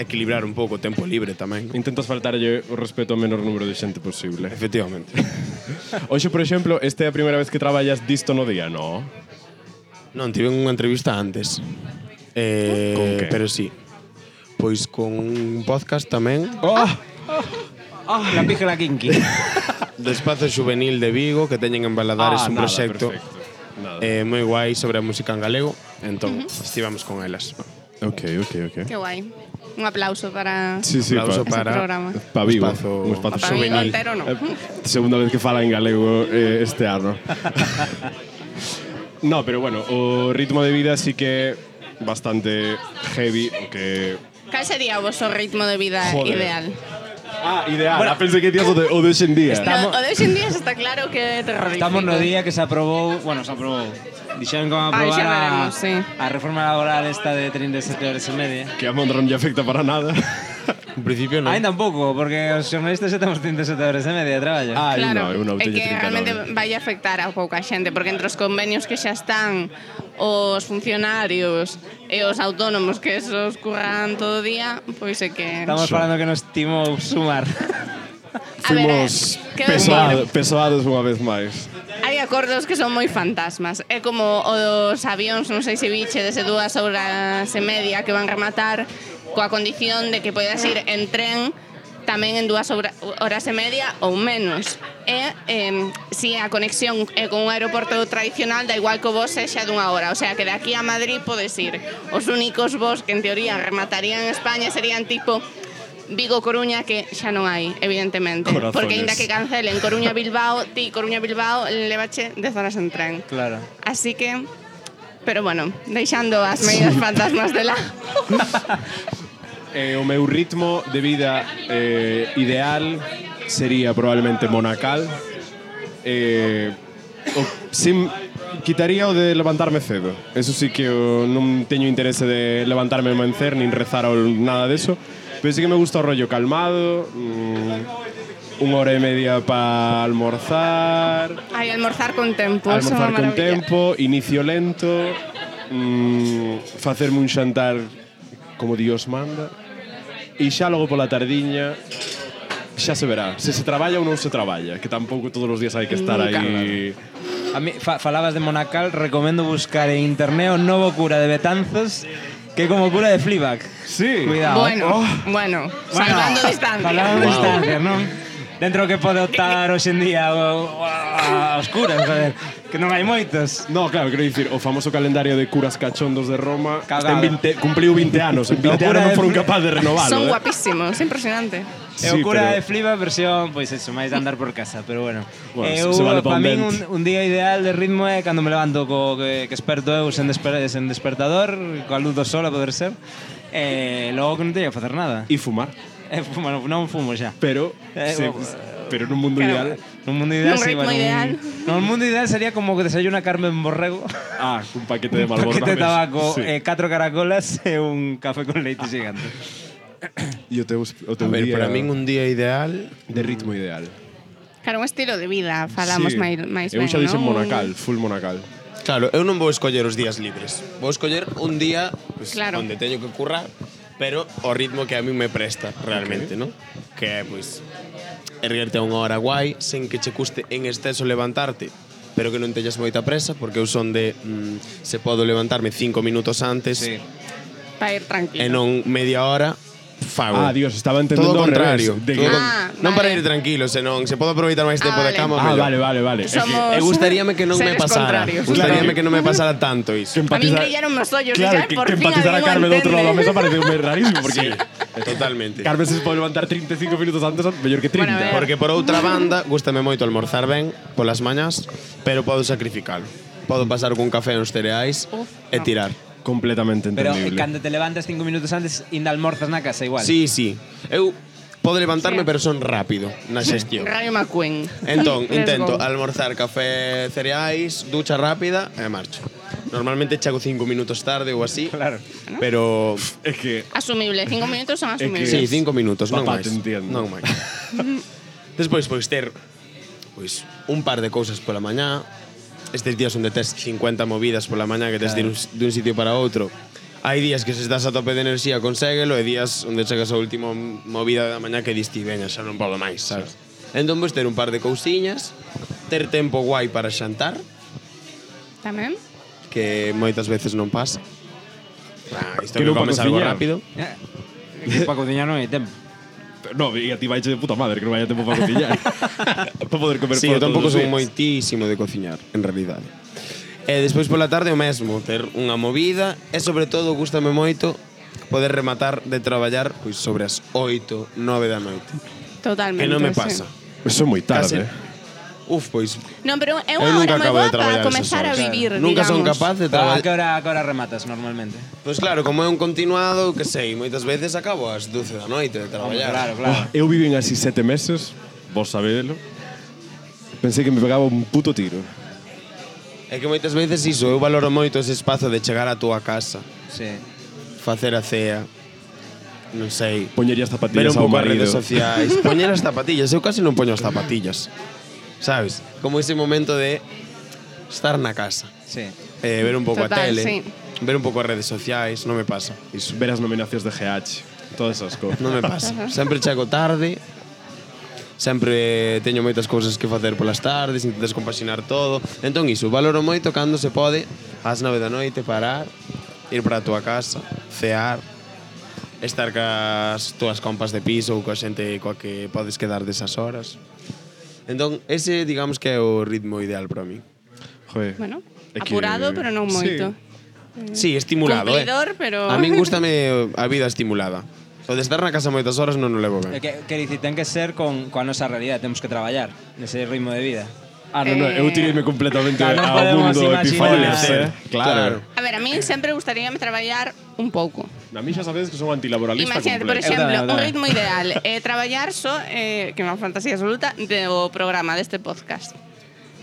equilibrar un pouco o tempo libre tamén, non? Intentas faltarlle o respeto ao menor número de xente posible. Efectivamente. Hoxe, por exemplo, esta é a primeira vez que traballas disto no día, non? Non, tive unha entrevista antes. Con que? Pero sí. Pois con un podcast tamén La pija la kinky. do Espazo Juvenil de Vigo que teñen en Valadares un nada, proxecto perfecto. moi guai sobre a música en galego. Entón, estivamos con elas. Ok. Qué guai. Un aplauso para Sí, Aplauso ese para programa. Pa Vigo, Espazo- un espazo Para mí juvenil. entero no. Segunda vez que fala en galego este ano. No, pero bueno, o ritmo de vida sí que bastante heavy, o que... Cal sería o vosso ritmo de vida Joder. ideal? Ah, ideal. Bueno, pensei que tías o de hoxe en día. Estamos- O de hoxe en día está claro que é terrorífico. Estamos no día que se aprobou, dixeron como aprobar xa veremos, sí. a reforma laboral esta de 37 horas e media. Que a Mondragon lle afecta para nada. En principio non. Ainda un pouco, porque os xornalistas xa temos 37 horas e media de traballo. Ah, Claro, no, eu non é teño que 39. realmente vai afectar a pouca xente, porque entre os convenios que xa están, os funcionarios e os autónomos que esos curran todo o día, pois é que... Estamos falando que nos timou sumar. A ver, Fuimos quero dicir, pesoados unha vez máis. hai acordos que son moi fantasmas. É como os avións, non sei se viche, desde 2 horas e media que van rematar coa condición de que podes ir en tren tamén en 2 horas e media ou menos. E se a conexión é con un aeroporto tradicional, da igual que o vos sexa dunha hora. O sea, que de aquí a Madrid podes ir. Os únicos vos que en teoría rematarían en España serían tipo Vigo-Coruña, que xa non hai, evidentemente. Corazones. Porque ainda que cancelen Coruña-Bilbao, ti Coruña-Bilbao levache 10 horas en tren. Claro. Así que... Pero bueno, deixando as medidas fantasmas de lado. O meu ritmo de vida ideal sería probablemente monacal. Quitaría o de levantarme cedo. Eso sí que non teño interese de levantarme e mencer, nin rezar ou nada deso. Pero sí que me gusta o rollo calmado, 1 hora e media para almorzar, Ai, almorzar con tempo. eso é almorzar unha con maravilla. tempo, inicio lento, facerme un xantar como Dios manda, e xa logo pola tardiña xa se verá, se traballa ou non se traballa, que tampouco todos os días hai que estar Nunca. aí. A mí, falabas de Monacal, recomendo buscar en internet o novo cura de Betanzos, que é como cura de Fleabag. Sí. Cuidado. Bueno, salvando distancia. Falando de distancia, non? Dentro que pode optar hoxe en día a oscuras, joder, que non hai moitos. No, claro, quero dicir, o famoso calendario de curas cachondos de Roma Cagada. cumpliu 20 anos, en 20 Locura anos non de foron capaz de renovalo. Son guapísimos, é impresionante. É o cura de Fleabag versión, pois eso, máis de andar por casa, pero bueno. Bueno, se vale pa pa un min vento. un día ideal de ritmo é cando me levanto que esperto eu sen despertador, coa luz do sol a poder ser. Logo que non teño que facer nada. E fumar. Bueno, non fumo xa. Pero, pero nun mundo Claro. ideal. Nun mundo ideal, Nun sí, ritmo ideal. No, un mundo ideal sería como que desayuna Carmen Borrego, Un paquete de un Marlboro. paquete de tabaco, Sí. 4 caracolas e un café con leite xigante. E o teu A ver, día para min un día ideal de ritmo ideal. Claro, un estilo de vida, falamos máis Eu ben, xa dixen non? Monacal, full Monacal. Claro, eu non vou escoller os días libres. Vou escoller un día pues, Claro. onde teño que currar, pero o ritmo que a mí me presta realmente, ¿no? Que é, pois, erguerte a unha hora guai, sen que che custe en exceso levantarte, pero que non teñas moita presa, porque eu son de se podo levantarme 5 minutos antes Sí. Para ir tranquilo. e non media hora, fago. Ah, Dios, estaba entendendo Todo o ao revés. contrario. De que- Non para vale. ir tranquilo, senón se podo aproveitar máis tempo de vale. cama, Ah, mellor. vale. Somos E gustaríame que non me seres pasara. contrarios. Gustaríame Claro. que non me pasara tanto iso. A mí brillaron os ollos, Claro, xa, por que fin empatizar a alguén o Carmen do outro lado da entende. mesa parece rarísimo, porque Totalmente. Carmen se pode levantar 35 minutos antes, mellor que 30. Bueno, a ver. Porque por outra banda, gústame moito almorzar ben polas mañás, pero podo sacrificalo. Podo pasar cun café nos cereais e tirar. Completamente Pero entendible. cando te levantas 5 minutos antes, ainda almorzas na casa igual. Sí. Eu podo levantarme, Sí. pero son rápido na xestión. Rayo McQueen. Entón, Let's intento go. almorzar café, cereais, ducha rápida e marcho. Normalmente chego 5 minutos tarde ou así, Claro. pero É que Asumible, 5 minutos son que- asumibles. sí, 5 minutos, non Papá, máis. te entiendo. Non máis. Despois, pois, ter un par de cousas pola mañá. Estes días onde tes 50 movidas pola mañá que tes de ir dun sitio para outro. Hai días que se estás a tope de enerxía conséguelo e días onde chegas a última movida da mañá que diste veña, xa non podo máis, sabes? Entón, pois, ter un par de cousiñas, ter tempo guai para xantar, Tamén. que moitas veces non pasa. Isto Que que non pa comes algo cociñar. rápido. Que para cociñar non hai tempo. No, e a ti vaiche de puta madre que non vaya tempo para cociñar. Para poder comer Sí, fora eu tampouco todos os son días. moitísimo de cociñar, en realidade. E despois pola tarde o mesmo, ter unha movida e sobre todo gústame moito poder rematar de traballar pois sobre as 8, 9 da noite. Totalmente. Que non me sí. pasa. Eso é moi Casi. tarde. Uf, pois Non, pero é eu unha nunca hora moi acabo boa de traballar para comezar a esas horas. vivir, Nunca son digamos. capaz de A traballar. que hora rematas normalmente? Pois claro, como é un continuado, que sei, moitas veces acabo ás 12 da noite de traballar. Claro. Eu vivín así 7 meses, vos sabedelo. Pensei que me pegaba un puto tiro. É que moitas veces iso, eu valoro moito ese espazo de chegar á túa casa, Sí. facer a cea, non sei, Poñería as ver zapatillas un ao pouco as marido. redes sociais, poñer as zapatillas. Eu casi non poño as zapatillas, sabes? Como ese momento de estar na casa, Sí. ver un pouco Total, a tele, sí. ver un pouco as redes sociais, non me pasa. Iso, ver as nominacións de GH, todas esas cousas. Non me pasa. Sempre chego tarde, sempre teño moitas cousas que facer polas tardes, intentas compaxinar todo. Entón iso, valoro moito cando se pode ás 9 da noite parar, ir para a túa casa, cear, estar cas túas compas de piso ou coa xente coa que podes quedar desas horas. Entón, ese digamos que é o ritmo ideal para mí. Joder. Bueno, É que- apurado, pero non moito. Sí, estimulado, Cumplidor, pero- A min gústame a vida estimulada. O de estar na casa moitas horas non o levo ben. Que dicir, ten que ser coa nosa realidade, temos que traballar nese ritmo de vida. Ah, non, eu tireime completamente Claro, non ao podemos mundo imaginar. Epifanes, Claro. A ver, a mí sempre gustaríame traballar un pouco. A mí xa sabedes que son antilaboralista Imagínate, por completo. exemplo, Eu un tamén. ritmo ideal traballar só, que é unha fantasía absoluta, do programa deste podcast.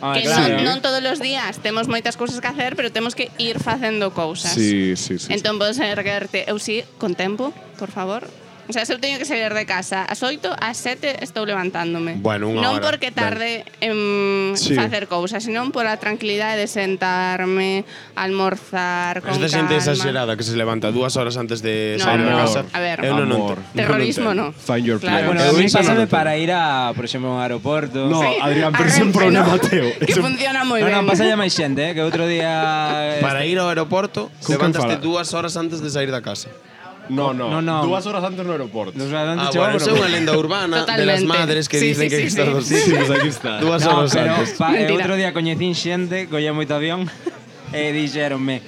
Que non todos os días temos moitas cousas que hacer, pero temos que ir facendo cousas. Sí. Entón podes erguerte, eu sí, con tempo, por favor. O sea, se eu teño que salir de casa ás 8, ás 7 estou levantándome. Bueno, unha non hora, porque tarde en Sí. facer cousas, senón pola tranquilidade de sentarme, almorzar con Esta xente calma. exagerada que se levanta 2 horas antes de No, sair da amor. casa. A ver. eu non Amor. entendo. Terrorismo Non no. Find your Claro. place. Bueno, Eu a mí iso non pásame entendo. para ir a, por exemplo, a un aeroporto. No, Sí, Adrián, pero a ese é un Renfe, problema ¿no? teu. Que funciona moi ben. Non, pasa ya máis xente, que outro día... Para ir ao aeroporto, Con quen levantaste fala? 2 horas antes de sair da casa. No. No. 2 horas antes no aeroporto. Nos Ah, bueno, eso é unha lenda urbana de las Totalmente. madres que Sí, dicen sí, que sí, hai que estar sí. dos Sí, pues aquí está. 2 No, horas pero antes. Mentira. outro día coñecín xente, colla moito avión, e dixeronme,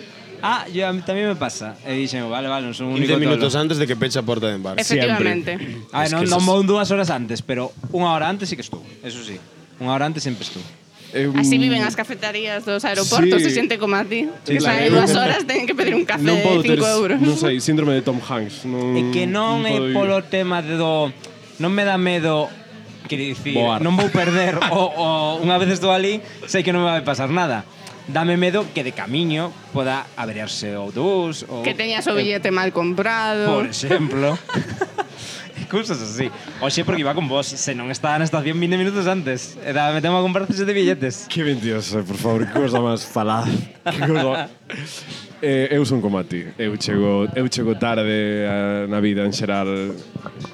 a mí tamén me pasa. E dixen, vale, non son un 15 único minutos tolo. antes de que peche a porta de embarque. Efectivamente. A ver, Es que non eso vou 2 horas antes, pero 1 hora antes sí que estou. Eso sí. 1 hora antes sempre estou. Así viven as cafeterías dos aeroportos, Sí. se xente como a ti. Sí, Que claro. sae 2 horas, teñen que pedir un café Non podo de ter, 5 euros. non sei, síndrome de Tom Hanks. Non, É que non é podo ir. polo tema de do... Non me dá medo, quero dicir, Voar. non vou perder o unha vez estou ali, sei que non me vai pasar nada. Dame medo que de camiño poda averiarse o autobús ou Que teñas o billete mal comprado. por exemplo. cousas así. Oxe, porque iba con vos, se non estaba na estación 20 minutos antes. Era metemos a comprar 7 billetes. Que mentiroso, por favor, que cosa máis falaz. Que cosa... eu son como a ti. Eu chego tarde na vida en xeral.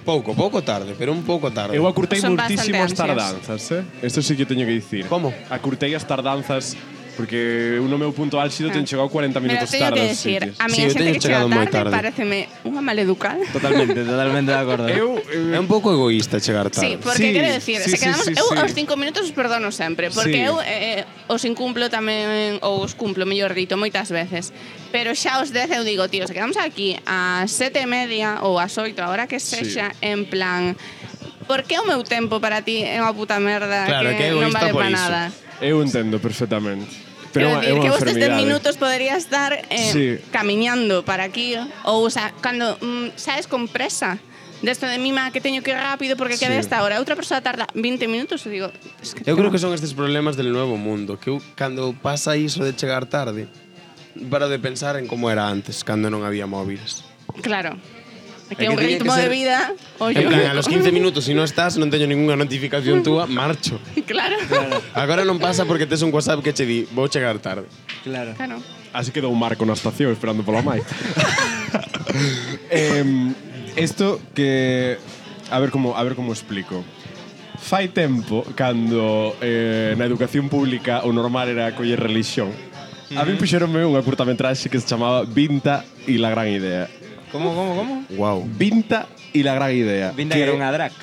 Pouco tarde, pero un pouco tarde. Eu acurtei Son moitísimo as bastante tardanzas, Isto sí que teño que dicir. Como? Acurtei as tardanzas porque no meu punto álxido ten chegado 40 Pero minutos teño tarde. que aos decir, sitios. a mí Sí, a eu xente teño que chega chegado moi tarde tarde. pareceme unha maleducada. Totalmente de acordo. É un pouco egoísta chegar Sí, tarde. porque Sí, quero decir, sí, se quedamos sí, sí, eu sí. aos 5 minutos os perdono sempre, porque Sí. eu os incumplo tamén ou os cumplo, mellor dito, moitas veces. Pero xa aos 10 eu digo, tío, se quedamos aquí ás 7:30 ou ás 8, a hora que sexa, en plan, por que o meu tempo para ti é unha puta merda Claro, que é non egoísta vale por para iso. nada? Eu entendo perfectamente. Quero Pero é dicir, unha que vos desde enfermidade. minutos podería estar Sí. camiñando para aquí ou sea, cando sabes con presa desto de mima que teño que ir rápido porque queda Sí. esta hora, outra persoa tarda 20 minutos e digo, es que Eu creo que son estes problemas del nuevo mundo, que eu, cando pasa iso de chegar tarde, paro de pensar en como era antes, cando non había móviles. claro. É É que que un tiña ritmo que ser- de vida, En plan, a los 15 minutos, si non estás, non teño ninguna notificación túa, marcho. claro. Agora non pasa porque tes un WhatsApp que che di, vou chegar tarde. Claro. Claro. Así quedou un marco na estación esperando pola mai. Isto que a ver como explico. Fai tempo cando na educación pública o normal era coller religión. A mí puxeronme unha curtametraxe que se chamaba Vinta e la gran idea. Como? Wow. Vinta e la gran idea. Vinda que era unha drag.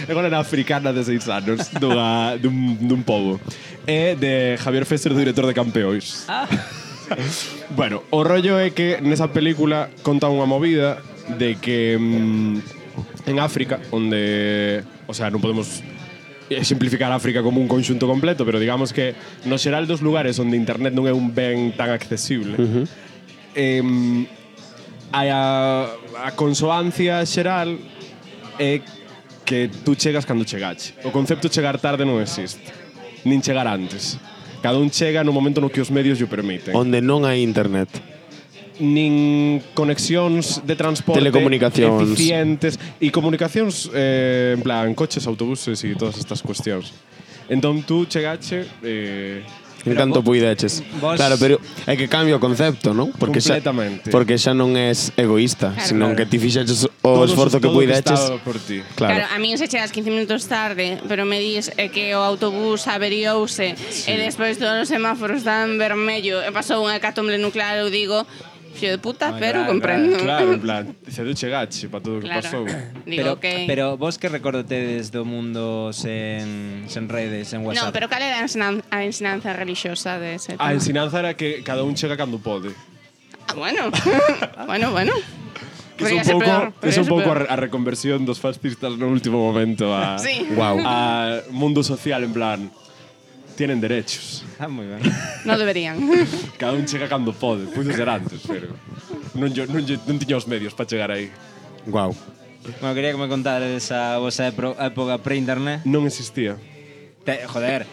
Agora era africana de 6 anos dun pobo. É de Javier Fesser, do director de Campeóns. Bueno, o rollo é que nesa película conta unha movida de que en África, onde, o sea, non podemos simplificar África como un conxunto completo, pero digamos que no xeral dos lugares onde internet non é un ben tan accesible, a consoancia xeral é que tú chegas cando chegache. O concepto chegar tarde non existe, nin chegar antes. Cada un chega no momento no que os medios lle permiten. Onde non hai internet. Nin conexións de transporte Telecomunicacións. eficientes e comunicacións en plan coches, autobuses e todas estas cuestións. Entón tú chegache En canto puideches. vos- Claro, pero é que cambia o concepto, non? Completamente. Porque xa non és egoísta, Claro. senón que ti fixeches o todo esforzo que todo puideches. estaba por ti. Claro, Claro. a mí se chegas 15 minutos tarde, pero me dis que o autobús averiouse e despois todos os semáforos dan vermello e pasou unha hecatombe nuclear, eu digo, fío de puta, pero claro, comprendo. Claro, en plan, se du chegache para todo o que Claro. pasou. Digo que... Pero vos que recordotedes do mundo sen redes, sen No, WhatsApp? pero cal era a ensinanza religiosa de ese tema? A ensinanza era que cada un chega cando pode. Ah, bueno. bueno. Que Podría é ser un peor, pouco, podría é un ser pouco peor. a reconversión dos fascistas no último momento a Sí. Wow. a mundo social en plan tienen derechos. Ah, moi ben. No deberían. Cada un chega cando pode. Puido ser antes, pero non tiña os medios para chegar aí. Wow. Bueno, quería que me contares a vosa época pre-internet. Non existía. Joder,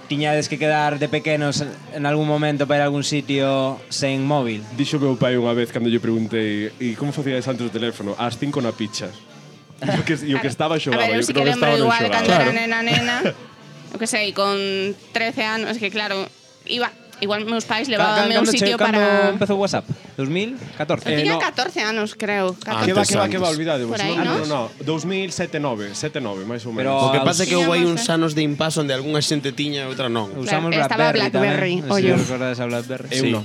tiñades que quedar de pequenos en algún momento para ir a algún sitio sen móvil. Dixo meu pai unha vez cando lle preguntei e como facíades antes o teléfono? Ás 5 na picha. E o que estaba A xogaba, ver, eu e o sí que que non lembro estaba non igual xogaba. cando era nena, o que sei, con 13 anos, es que claro, igual meus pais levábanme a un sitio Cando para... empezou WhatsApp? 2014? Eu tiña no. 14 anos, creo. Ah, 14. Que va, olvidade vos. Por aí, No, ¿no? 2007, 9, máis ou menos. Pero- O que pasa é que houve aí uns Tiñamos, anos de impasse onde algunha xente tiña e outra non. Usamos estaba BlackBerry BlackBerry, tamén. ollo. Non sei se recordades a BlackBerry. Eu non.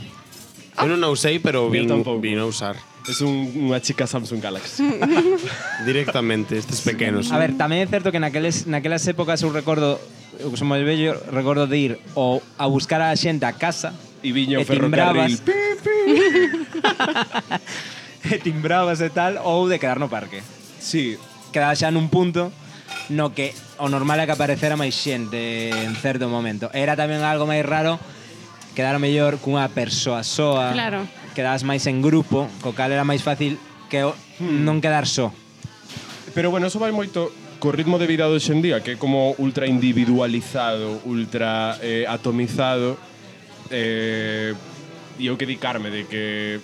Eu non a usei, pero Eu tampouco. vin a usar Es unha chica Samsung Galaxy. directamente estes pequenos. A ver, tamén é certo que naquelas épocas eu recordo, eu que son moi vello, recordo de ir a buscar a xente a casa E viña o e timbrabas. ferrocarril. E timbrabas e tal, ou de quedar no parque. Sí, Quedaba xa nun punto no que o normal é que aparecera máis xente en certo momento. Era tamén algo máis raro quedar mellor cunha persoa soa. Claro. Quedabas máis en grupo, co cal era máis fácil que non quedar só. pero bueno, eso vai moito co ritmo de vida de hoxendía, que é como ultra individualizado, ultra atomizado. E eu que di Carme de que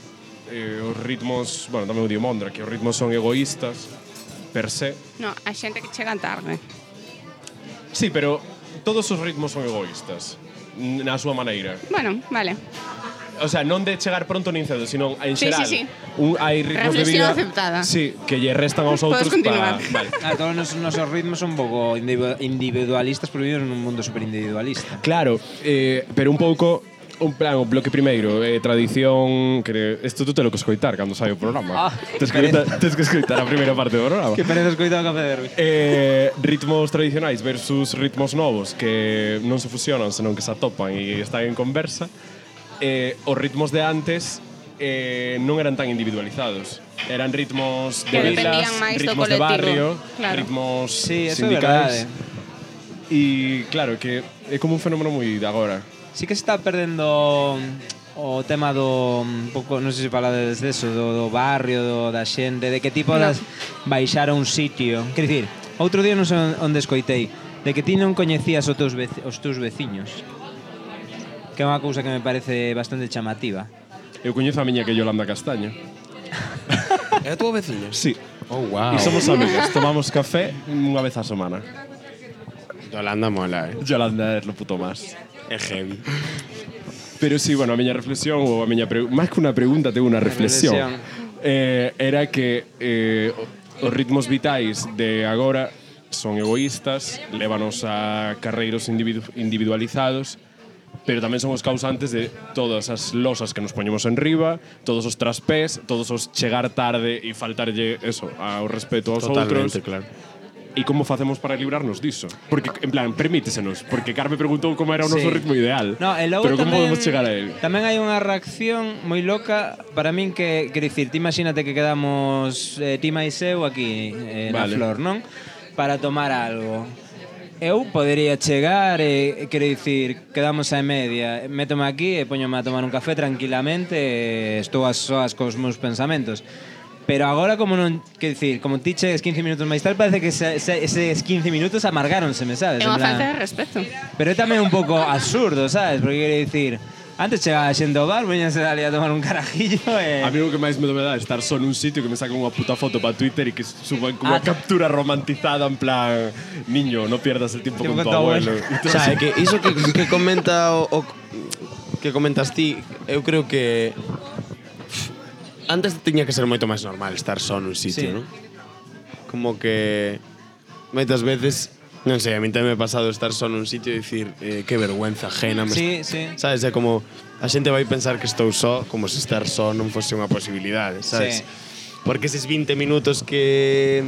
os ritmos, bueno, tamén o dio Mondra, que os ritmos son egoístas per se. No, hai xente que chega tarde. Sí, pero todos os ritmos son egoístas na súa maneira. Bueno, vale. O sea, non de chegar pronto nin cedo, sino en Sí, xeral. sí, sí. Hai ritmos de Reflexión vida aceptada. Sí, que lle restan aos outros Podes continuar. Vale. Todos os nosos ritmos son un pouco individualistas, pero vivimos nun mundo superindividualista. Claro, pero un pouco un plan, o bloque primeiro, tradición, que isto tú te lo que escoitar cando sai o programa. Tes que escoitar a primeira parte do programa. Que pereza escoitar o Café Derbi. Ritmos tradicionais versus ritmos novos que non se fusionan, senón que se atopan e están en conversa. Os ritmos de antes non eran tan individualizados. Eran ritmos de Que vilas, dependían máis do ritmos de barrio, colectivo. Claro. ritmos Sí, eso é sindicais. verdade. E claro, que é como un fenómeno moi de agora. Sí que se está perdendo o tema do un pouco, non sei se falades deso, do barrio, da xente, de que tipo das baixar a un sitio. Quer dicir, outro día non sei onde escoitei, de que ti non coñecías os teus veciños. Que é unha cousa que me parece bastante chamativa. Eu coñezo a miña que é Yolanda Castaño. É a tua veciña? Sí. Oh, wow. E somos amigas, tomamos café unha vez a semana. Yolanda mola, Yolanda é lo puto más. É heavy. Pero sí, bueno, a miña reflexión ou a miña máis que unha pregunta, tengo unha reflexión. Era que os ritmos vitais de agora son egoístas, lévanos a carreiros individualizados, pero tamén son os causantes de todas as losas que nos poñemos en riba, todos os traspés, todos os chegar tarde e faltarlle eso, ao respeto aos outros. Totalmente, claro. E como facemos para librarnos diso? Porque, en plan, permítesenos, porque Carme preguntou como era o noso ritmo ideal. No, e logo pero como tamén, podemos chegar a él? Tamén hai unha reacción moi loca para min que, quer dicir, ti imagínate que quedamos ti máis eu aquí na Vale. Flor, non? Para tomar algo. Eu podería chegar e, quero dicir, quedamos a media, métome aquí e poñome a tomar un café tranquilamente e estou a soas cos meus pensamentos. Pero agora como non, quero dicir, como ti chegues 15 minutos máis tarde, parece que eses 15 minutos amargáronseme, sabes? É unha En plan- falta de respeto. Pero é tamén un pouco absurdo, sabes? Porque quero dicir, antes chegaba xente ao bar, veñanse ali a tomar un carajillo e... A mí o que máis me dá é estar só nun sitio que me sacan unha puta foto para Twitter e que suban como unha captura romantizada en plan niño, no pierdas el tiempo con tu abuelo. O sea, é que iso que comenta que comentas ti, eu creo que antes tiña que ser moito máis normal estar só nun sitio, Sí. non? Como que moitas veces, non sei, a mí tamén me ha pasado estar só nun sitio e dicir que vergüenza ajena. Sí, sí. Sabes, é como a xente vai pensar que estou só, como se estar só non fose unha posibilidade, sabes? Sí. Porque eses 20 minutos que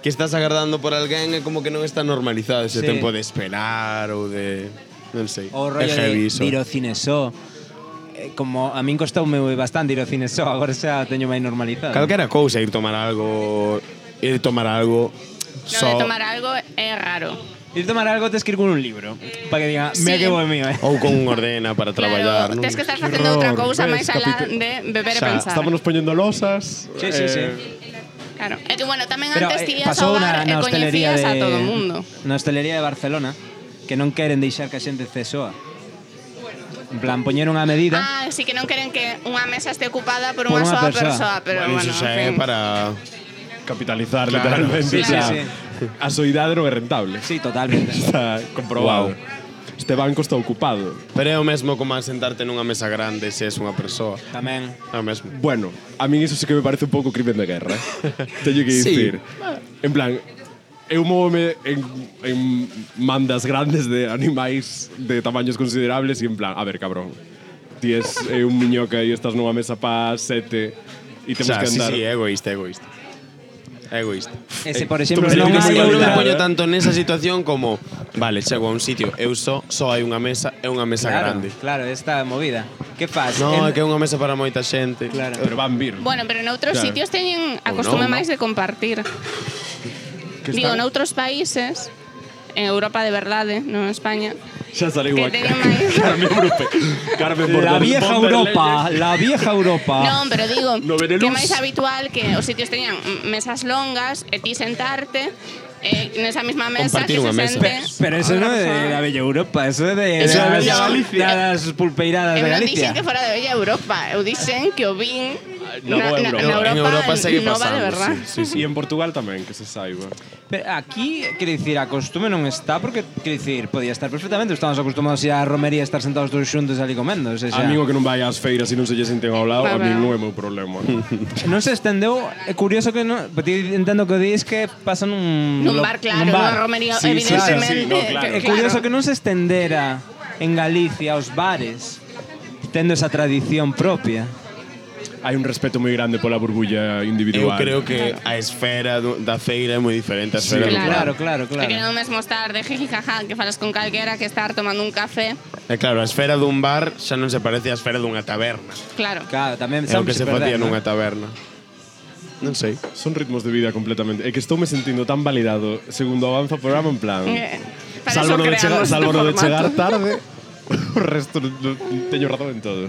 estás agardando por alguén é como que non está normalizado ese Sí. tempo de esperar ou de... non sei. O é rollo heavy de iso. ir ao cine só. Como a min costoume bastante ir ao cine só, agora xa teño máis normalizado. Calquera cousa, ir tomar algo No, só. de tomar algo é raro. Ir tomar algo tes que ir con un libro, para que diga, mira Sí. que bo mío, Ou con un ordena para traballar, Claro, non? tens que estar facendo outra cousa ves, máis alá de beber e Xa, pensar. Estámonos poñendo losas. Sí, sí, sí. Claro. É que, bueno, tamén Pero antes tías pasou ao bar e hostelería coñecías a todo o mundo. Na hostelería de Barcelona, que non queren deixar que a xente cesoa. En plan, poñeron a medida. Ah, sí que non queren que unha mesa este ocupada por Por unha unha soa persoa. persoa, pero Bueno, bueno, iso xa en é fin. para... Capitalizar, Claro, literalmente. sí, o sea, sí, A soidade non é rentable. Sí, totalmente. Está comprobado. Este banco está ocupado. Pero é o mesmo como a sentarte nunha mesa grande se és unha persoa. Tamén. É o mesmo. Bueno, a mí eso sí que me parece un pouco crimen de guerra. Teño que Sí. dicir. En plan, eu móvome en mandas grandes de animais de tamaños considerables e en plan, a ver, cabrón, ti es un miñoca e estás nunha mesa pa 7 e O temos sea, que sí, andar. sí, é egoísta, é egoísta. É egoísta. Ese, por exemplo, Tú me non dices hai que Eu non me outra. poño tanto nesa situación como vale, chego a un sitio, eu só hai unha mesa, é unha mesa Claro, grande. claro, esta movida. Que faz? No, é que é unha mesa para moita xente. Claro. Pero van vir. Bueno, pero noutros Claro. sitios teñen a Ou costume non, máis de compartir. Que Digo, están- noutros países, en Europa de verdade, non en España, Xa saliu que aquí. teñen máis... Carmen Brupe. Carmen La vieja von der Europa, Leyen. la vieja Europa. Non, pero digo No Benelux. que é máis habitual que os sitios teñan mesas longas e ti sentarte nesa mesma mesa Compartir que se unha mesa. sente Pero eso non é de la Bella Europa, eso é de Eso é das- Bella Galicia. das pulpeiradas Eu de non dixen Galicia. que fora de Bella Europa, eu dixen que o vin No, Europa. En Europa segue nova de pasando, verdad. E en Portugal tamén, que se saiba. Pero aquí, quero dicir, a costume non está porque, quero dicir, podía estar perfectamente. Estamos acostumados a romería estar sentados todos xuntos ali comendo. O sea, A mí o que non vai ás feiras e non se lle senten ao lado, a Claro. mí non é meu problema. non se estendeu. É curioso que non... Ti entendo que dis que pasa nun... Nun bar, claro, nunha romería, Sí, sí, evidentemente. sí, no, claro. É curioso que non se estendera en Galicia aos bares tendo esa tradición propia. Hai un respeto moi grande pola burbulla Eu individual. creo que a esfera da feira é moi diferente a esfera do bar. Claro. É que non mesmo estar de jiji jaja que falas con calquera que estar tomando un café. E claro, a esfera dun bar xa non se parece á esfera dunha taberna. Claro. Claro, tamén É o que se facía non nunha taberna. Non sei. Son ritmos de vida completamente. É que estou me sentindo tan validado segundo avanza o programa en plan. Para Salvo eso no de chegar, creamos salvo este no de chegar formato. tarde, o resto teño razón en todo.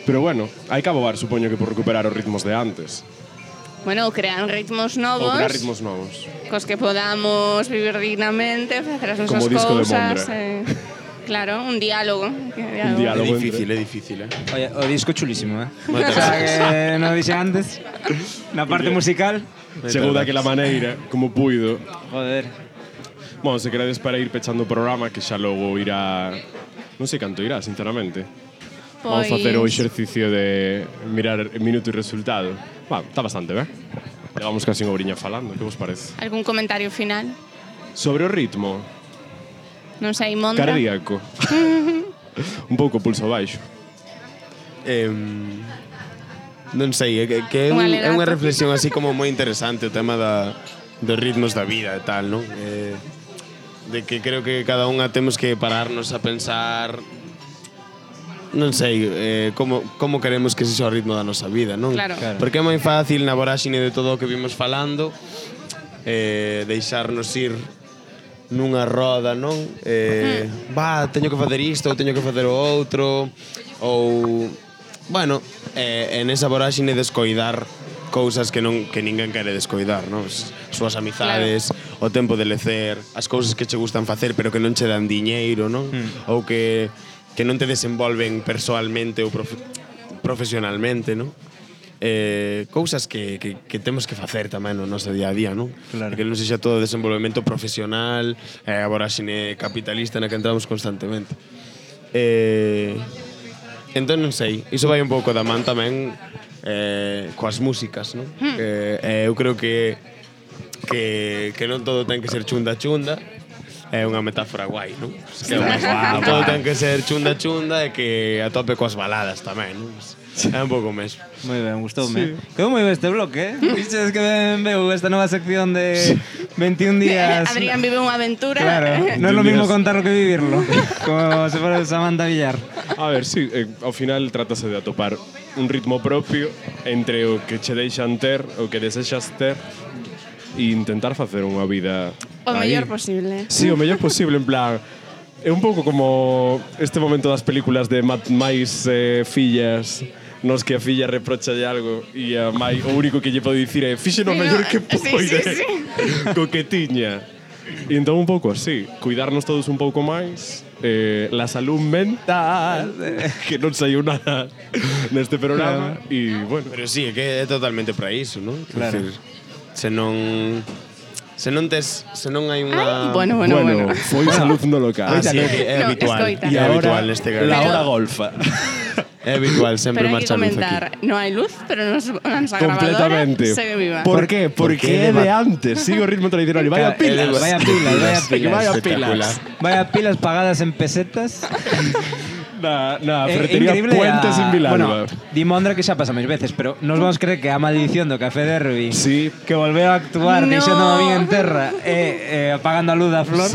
Pero bueno, hai que abogar, supoño que por recuperar os ritmos de antes. Bueno, crean ritmos Ou novos crear ritmos novos. cos que podamos vivir dignamente, facer as Como nosas disco de cousas. Mondra. Claro, un diálogo. Un É diálogo difícil, entre... é difícil, eh? Oye, o disco chulísimo, eh? Moitas O sea, gracias. que non dixen antes. Na parte musical. Chegou daquela maneira, como puido. Joder. Bueno, se queredes para ir pechando o programa, que xa logo irá... Non sei canto irá, sinceramente. Vamos facer o exercicio de mirar minuto e resultado. Bueno, está bastante, ben? Levamos casi unha oriña falando, que vos parece? Algún comentario final? Sobre o ritmo, Non sei, Mondra. cardíaco. Un pouco pulso baixo. Non sei, que é Un é unha alegato. reflexión así como moi interesante o tema dos ritmos da vida e tal, non? De que creo que cada unha temos que pararnos a pensar non sei, como queremos que sexa o ritmo da nosa vida, non? Claro. Porque é moi fácil na voráxine de todo o que vimos falando deixarnos ir nunha roda, non? Teño que facer isto, ou teño que facer o outro, ou bueno, en esa voráxine descoidar cousas que ninguén quere descoidar, non? As súas amizades, o tempo de lecer, as cousas que che gustan facer pero que non che dan diñeiro, non? Ou que non te desenvolven persoalmente ou profesionalmente, non? Cousas que temos que facer tamén no noso día a día, non? Claro. Que non sexa todo desenvolvemento profesional, a voráxine capitalista na que entramos constantemente. Entón non sei, iso vai un pouco da man tamén coas músicas, non? Eu creo que non todo ten que ser chunda é unha metáfora guai, non? Que todo ten que ser chunda e que a tope coas baladas tamén, non? É un pouco mesmo. Moi ben, gustoume. Quedou moi ben este bloque, eh? Vixes que ben veu esta nova sección de 21 días. Adrián vive unha aventura. Claro, non é lo mismo contarlo que vivirlo. Como se fora Samantha Villar. A ver, sí, ao final trátase de atopar un ritmo propio entre o que che deixan ter, o que desexas ter e intentar facer unha vida O aí. mellor posible. Sí, o mellor posible, en plan... É un pouco como este momento das películas de máis fillas nos que a filla reprochalle algo e a mai o único que lle pode dicir é fixe no mellor que poide co que tiña. E entón un pouco así, cuidarnos todos un pouco máis, la salud mental, que non saiu nada neste programa, e bueno. Pero sí, é que é totalmente para iso, non? Claro. Decir, se non hai unha... Bueno. Foi salud no local. sí, é No, habitual. escoita. E É habitual agora, neste la caso. hora golfa. É habitual, sempre Pero hai que marcha luz aquí. comentar, non hai luz, pero nos grabadora Completamente. segue viva. Por qué? Porque é de antes. Sigo o ritmo tradicional e vaya pilas. Vaya pilas. Que vaya Espectacular. pilas. Vaya pilas pagadas en pesetas. Na ferretería Increíble Puentes en Vilalba. Bueno, di Mondra que xa pasa máis veces, pero nos vamos creer que a maldición do Café Derby Sí. que volveu a actuar No. deixando a min en terra e apagando a luz da flor.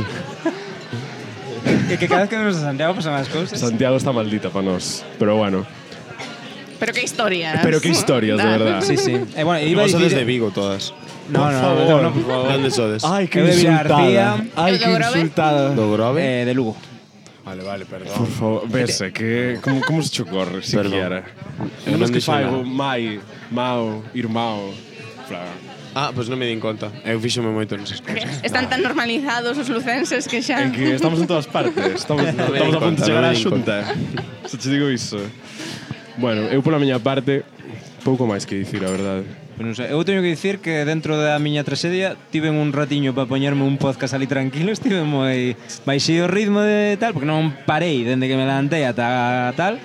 Que cada vez que vemos a Santiago pasan as cousas. Santiago está maldita para nós. Pero bueno. Pero que historias. Pero que historias, de verdad. Sí, sí. Bueno, iba a Vos sodes dicir... de Vigo todas. No, De onde sodes? Ay, Eu de Vilarcía. Ay, ¿El que de Grove? insultada. Do Grove? De Lugo. Vale, perdón. Por favor, vese, que... Como se che ocorre, siquiera? Non Nos que dixo faigo nada. mai, mau, irmão... Fla, Pois non me din conta. Eu fíxome moito nesas cousas. Están tan normalizados os lucenses que xa... É que estamos en todas partes. Estamos a punto de chegar á xunta. Se te digo iso. Bueno, eu pola miña parte, pouco máis que dicir, a verdade. Pues non sei. Eu teño que dicir que dentro da miña traxedia tiven un ratiño para poñerme un podcast ali tranquilo, estive moi baixei o ritmo de tal, porque non parei dende que me levantei ata tal.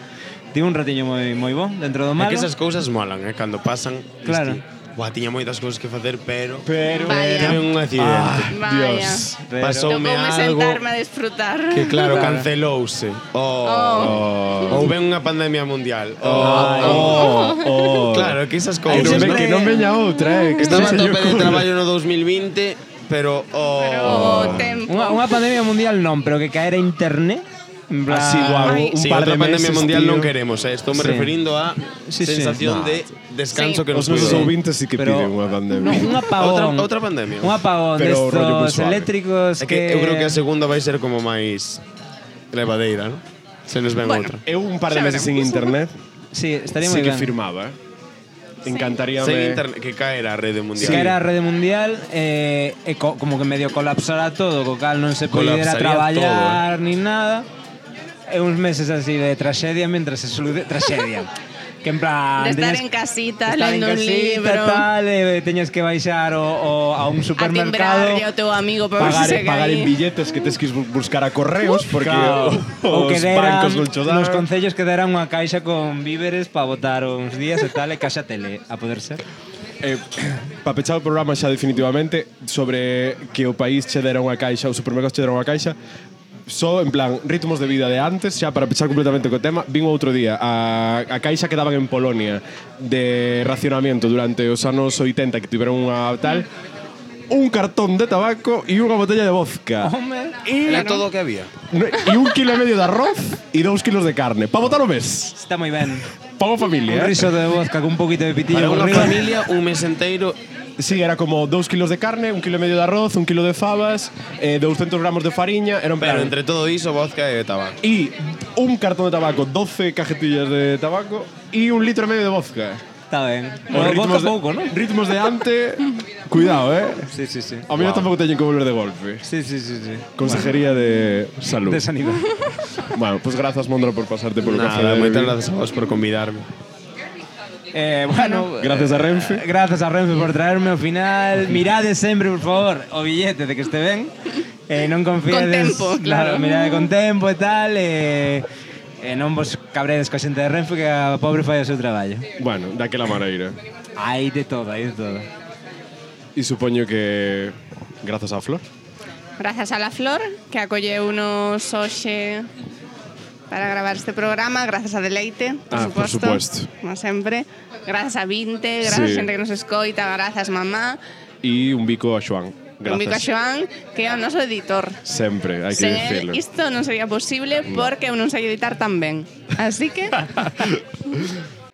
Tive un ratiño moi bon dentro do malo. É que esas cousas molan, cando pasan. Claro. Tiña moitas cousas que facer, pero Vaya. tive un accidente. Vaya. Dios. Pasoume Tocoume algo sentarme a disfrutar. que claro, cancelouse. Ou ven unha pandemia mundial. Claro, que esas cousas. Que non veña outra, Que estaba a se tope lle de ocurre. traballo no 2020, pero Pero o tempo. Unha pandemia mundial non, pero que caera internet. En plan- Así, guau, Ai. un Sí, par de outra pandemia meses, mundial tío. non queremos, Estou me Sí. referindo a Sí, sí. sensación de descanso Sí. que nos Os nosos cuide. ouvintes sí que Pero- piden unha pandemia. Un apagón. Outra pandemia. Un apagón Pero rollo muy destos suave. eléctricos É que eu creo que a segunda vai ser como máis levadeira, non? Se nos ven Bueno. outra. Eu un par de Xa meses sin internet Sí, estaría sí moi que ben. firmaba, Encantaríame. Sen internet, que caera a rede mundial. Se caera a rede mundial como que medio colapsara todo, co cal non se podía Colapsaría traballar nin nada. E uns meses así de traxedia mientras se soluciona traxedia. Que en plan De estar teñas- en casita, estar en lendo un casita, libro. tal, teñas que baixar a un A supermercado. timbrarlle ao teu amigo para ver se segue Pagar en aí. billetes que tes que buscar a correos porque Claro. Ou os que deran bancos non cho dan. nos concellos que deran unha caixa con víveres para botar uns días e tal, e caixa tele, a poder ser. Para pechar o programa xa definitivamente sobre que o país che dera unha caixa, os supermercados che dera unha caixa, só en plan ritmos de vida de antes, xa para pechar completamente co tema, vin outro día a caixa que daban en Polonia de racionamiento durante os anos 80 que tiveron unha tal, un cartón de tabaco e unha botella de vodka. Home, Era todo o que había. E 1,5 kg de arroz e 2 kilos de carne. Para botar o mes. está moi ben. Para unha Un familia. riso de vodka con un poquito de pitillo Para por unha riba. familia, un mes enteiro. Sí, era como 2 kilos de carne, 1,5 kg de arroz, 1 kilo de fabas, 200 gramos de fariña. Era un Pero plan. entre todo iso, vodka e tabaco. Y un cartón de tabaco, 12 cajetillas de tabaco y 1,5 litros de vodka. Está ben. Os Bueno, vodka de, pouco, non? ritmos de ante. Cuidado, Sí, sí, sí. A mí no tampoco teñen que volver de golpe. Sí, sí, sí, sí. Consejería de Salud. De sanidad. Bueno, pues gracias, Mondra, por pasarte por el café. Nada, de moitas Derby. gracias a vos por convidarme. Bueno, Gracias a Renfe. Gracias a Renfe por traerme ao final. Mirade sempre, por favor, o billete de que este ben. Non confiades. Con tempo, claro. Mirade con tempo e tal. Non vos cabredes coa xente de Renfe que a pobre fai o seu traballo. Bueno, daquela maneira. Hai de todo, hai de todo. Y supoño que gracias a Flor. Grazas a la Flor, que acolleunos hoxe para gravar este programa, grazas a Deleite, Por supuesto. como sempre. Grazas a Vinte, grazas Sí. a xente que nos escoita, grazas mamá. Y un bico a Joan. Gracias. Un bico a Xoán, que é o noso editor. Sempre, hai que Sen decirlo. él isto non sería posible porque eu non sei editar tan ben. Así que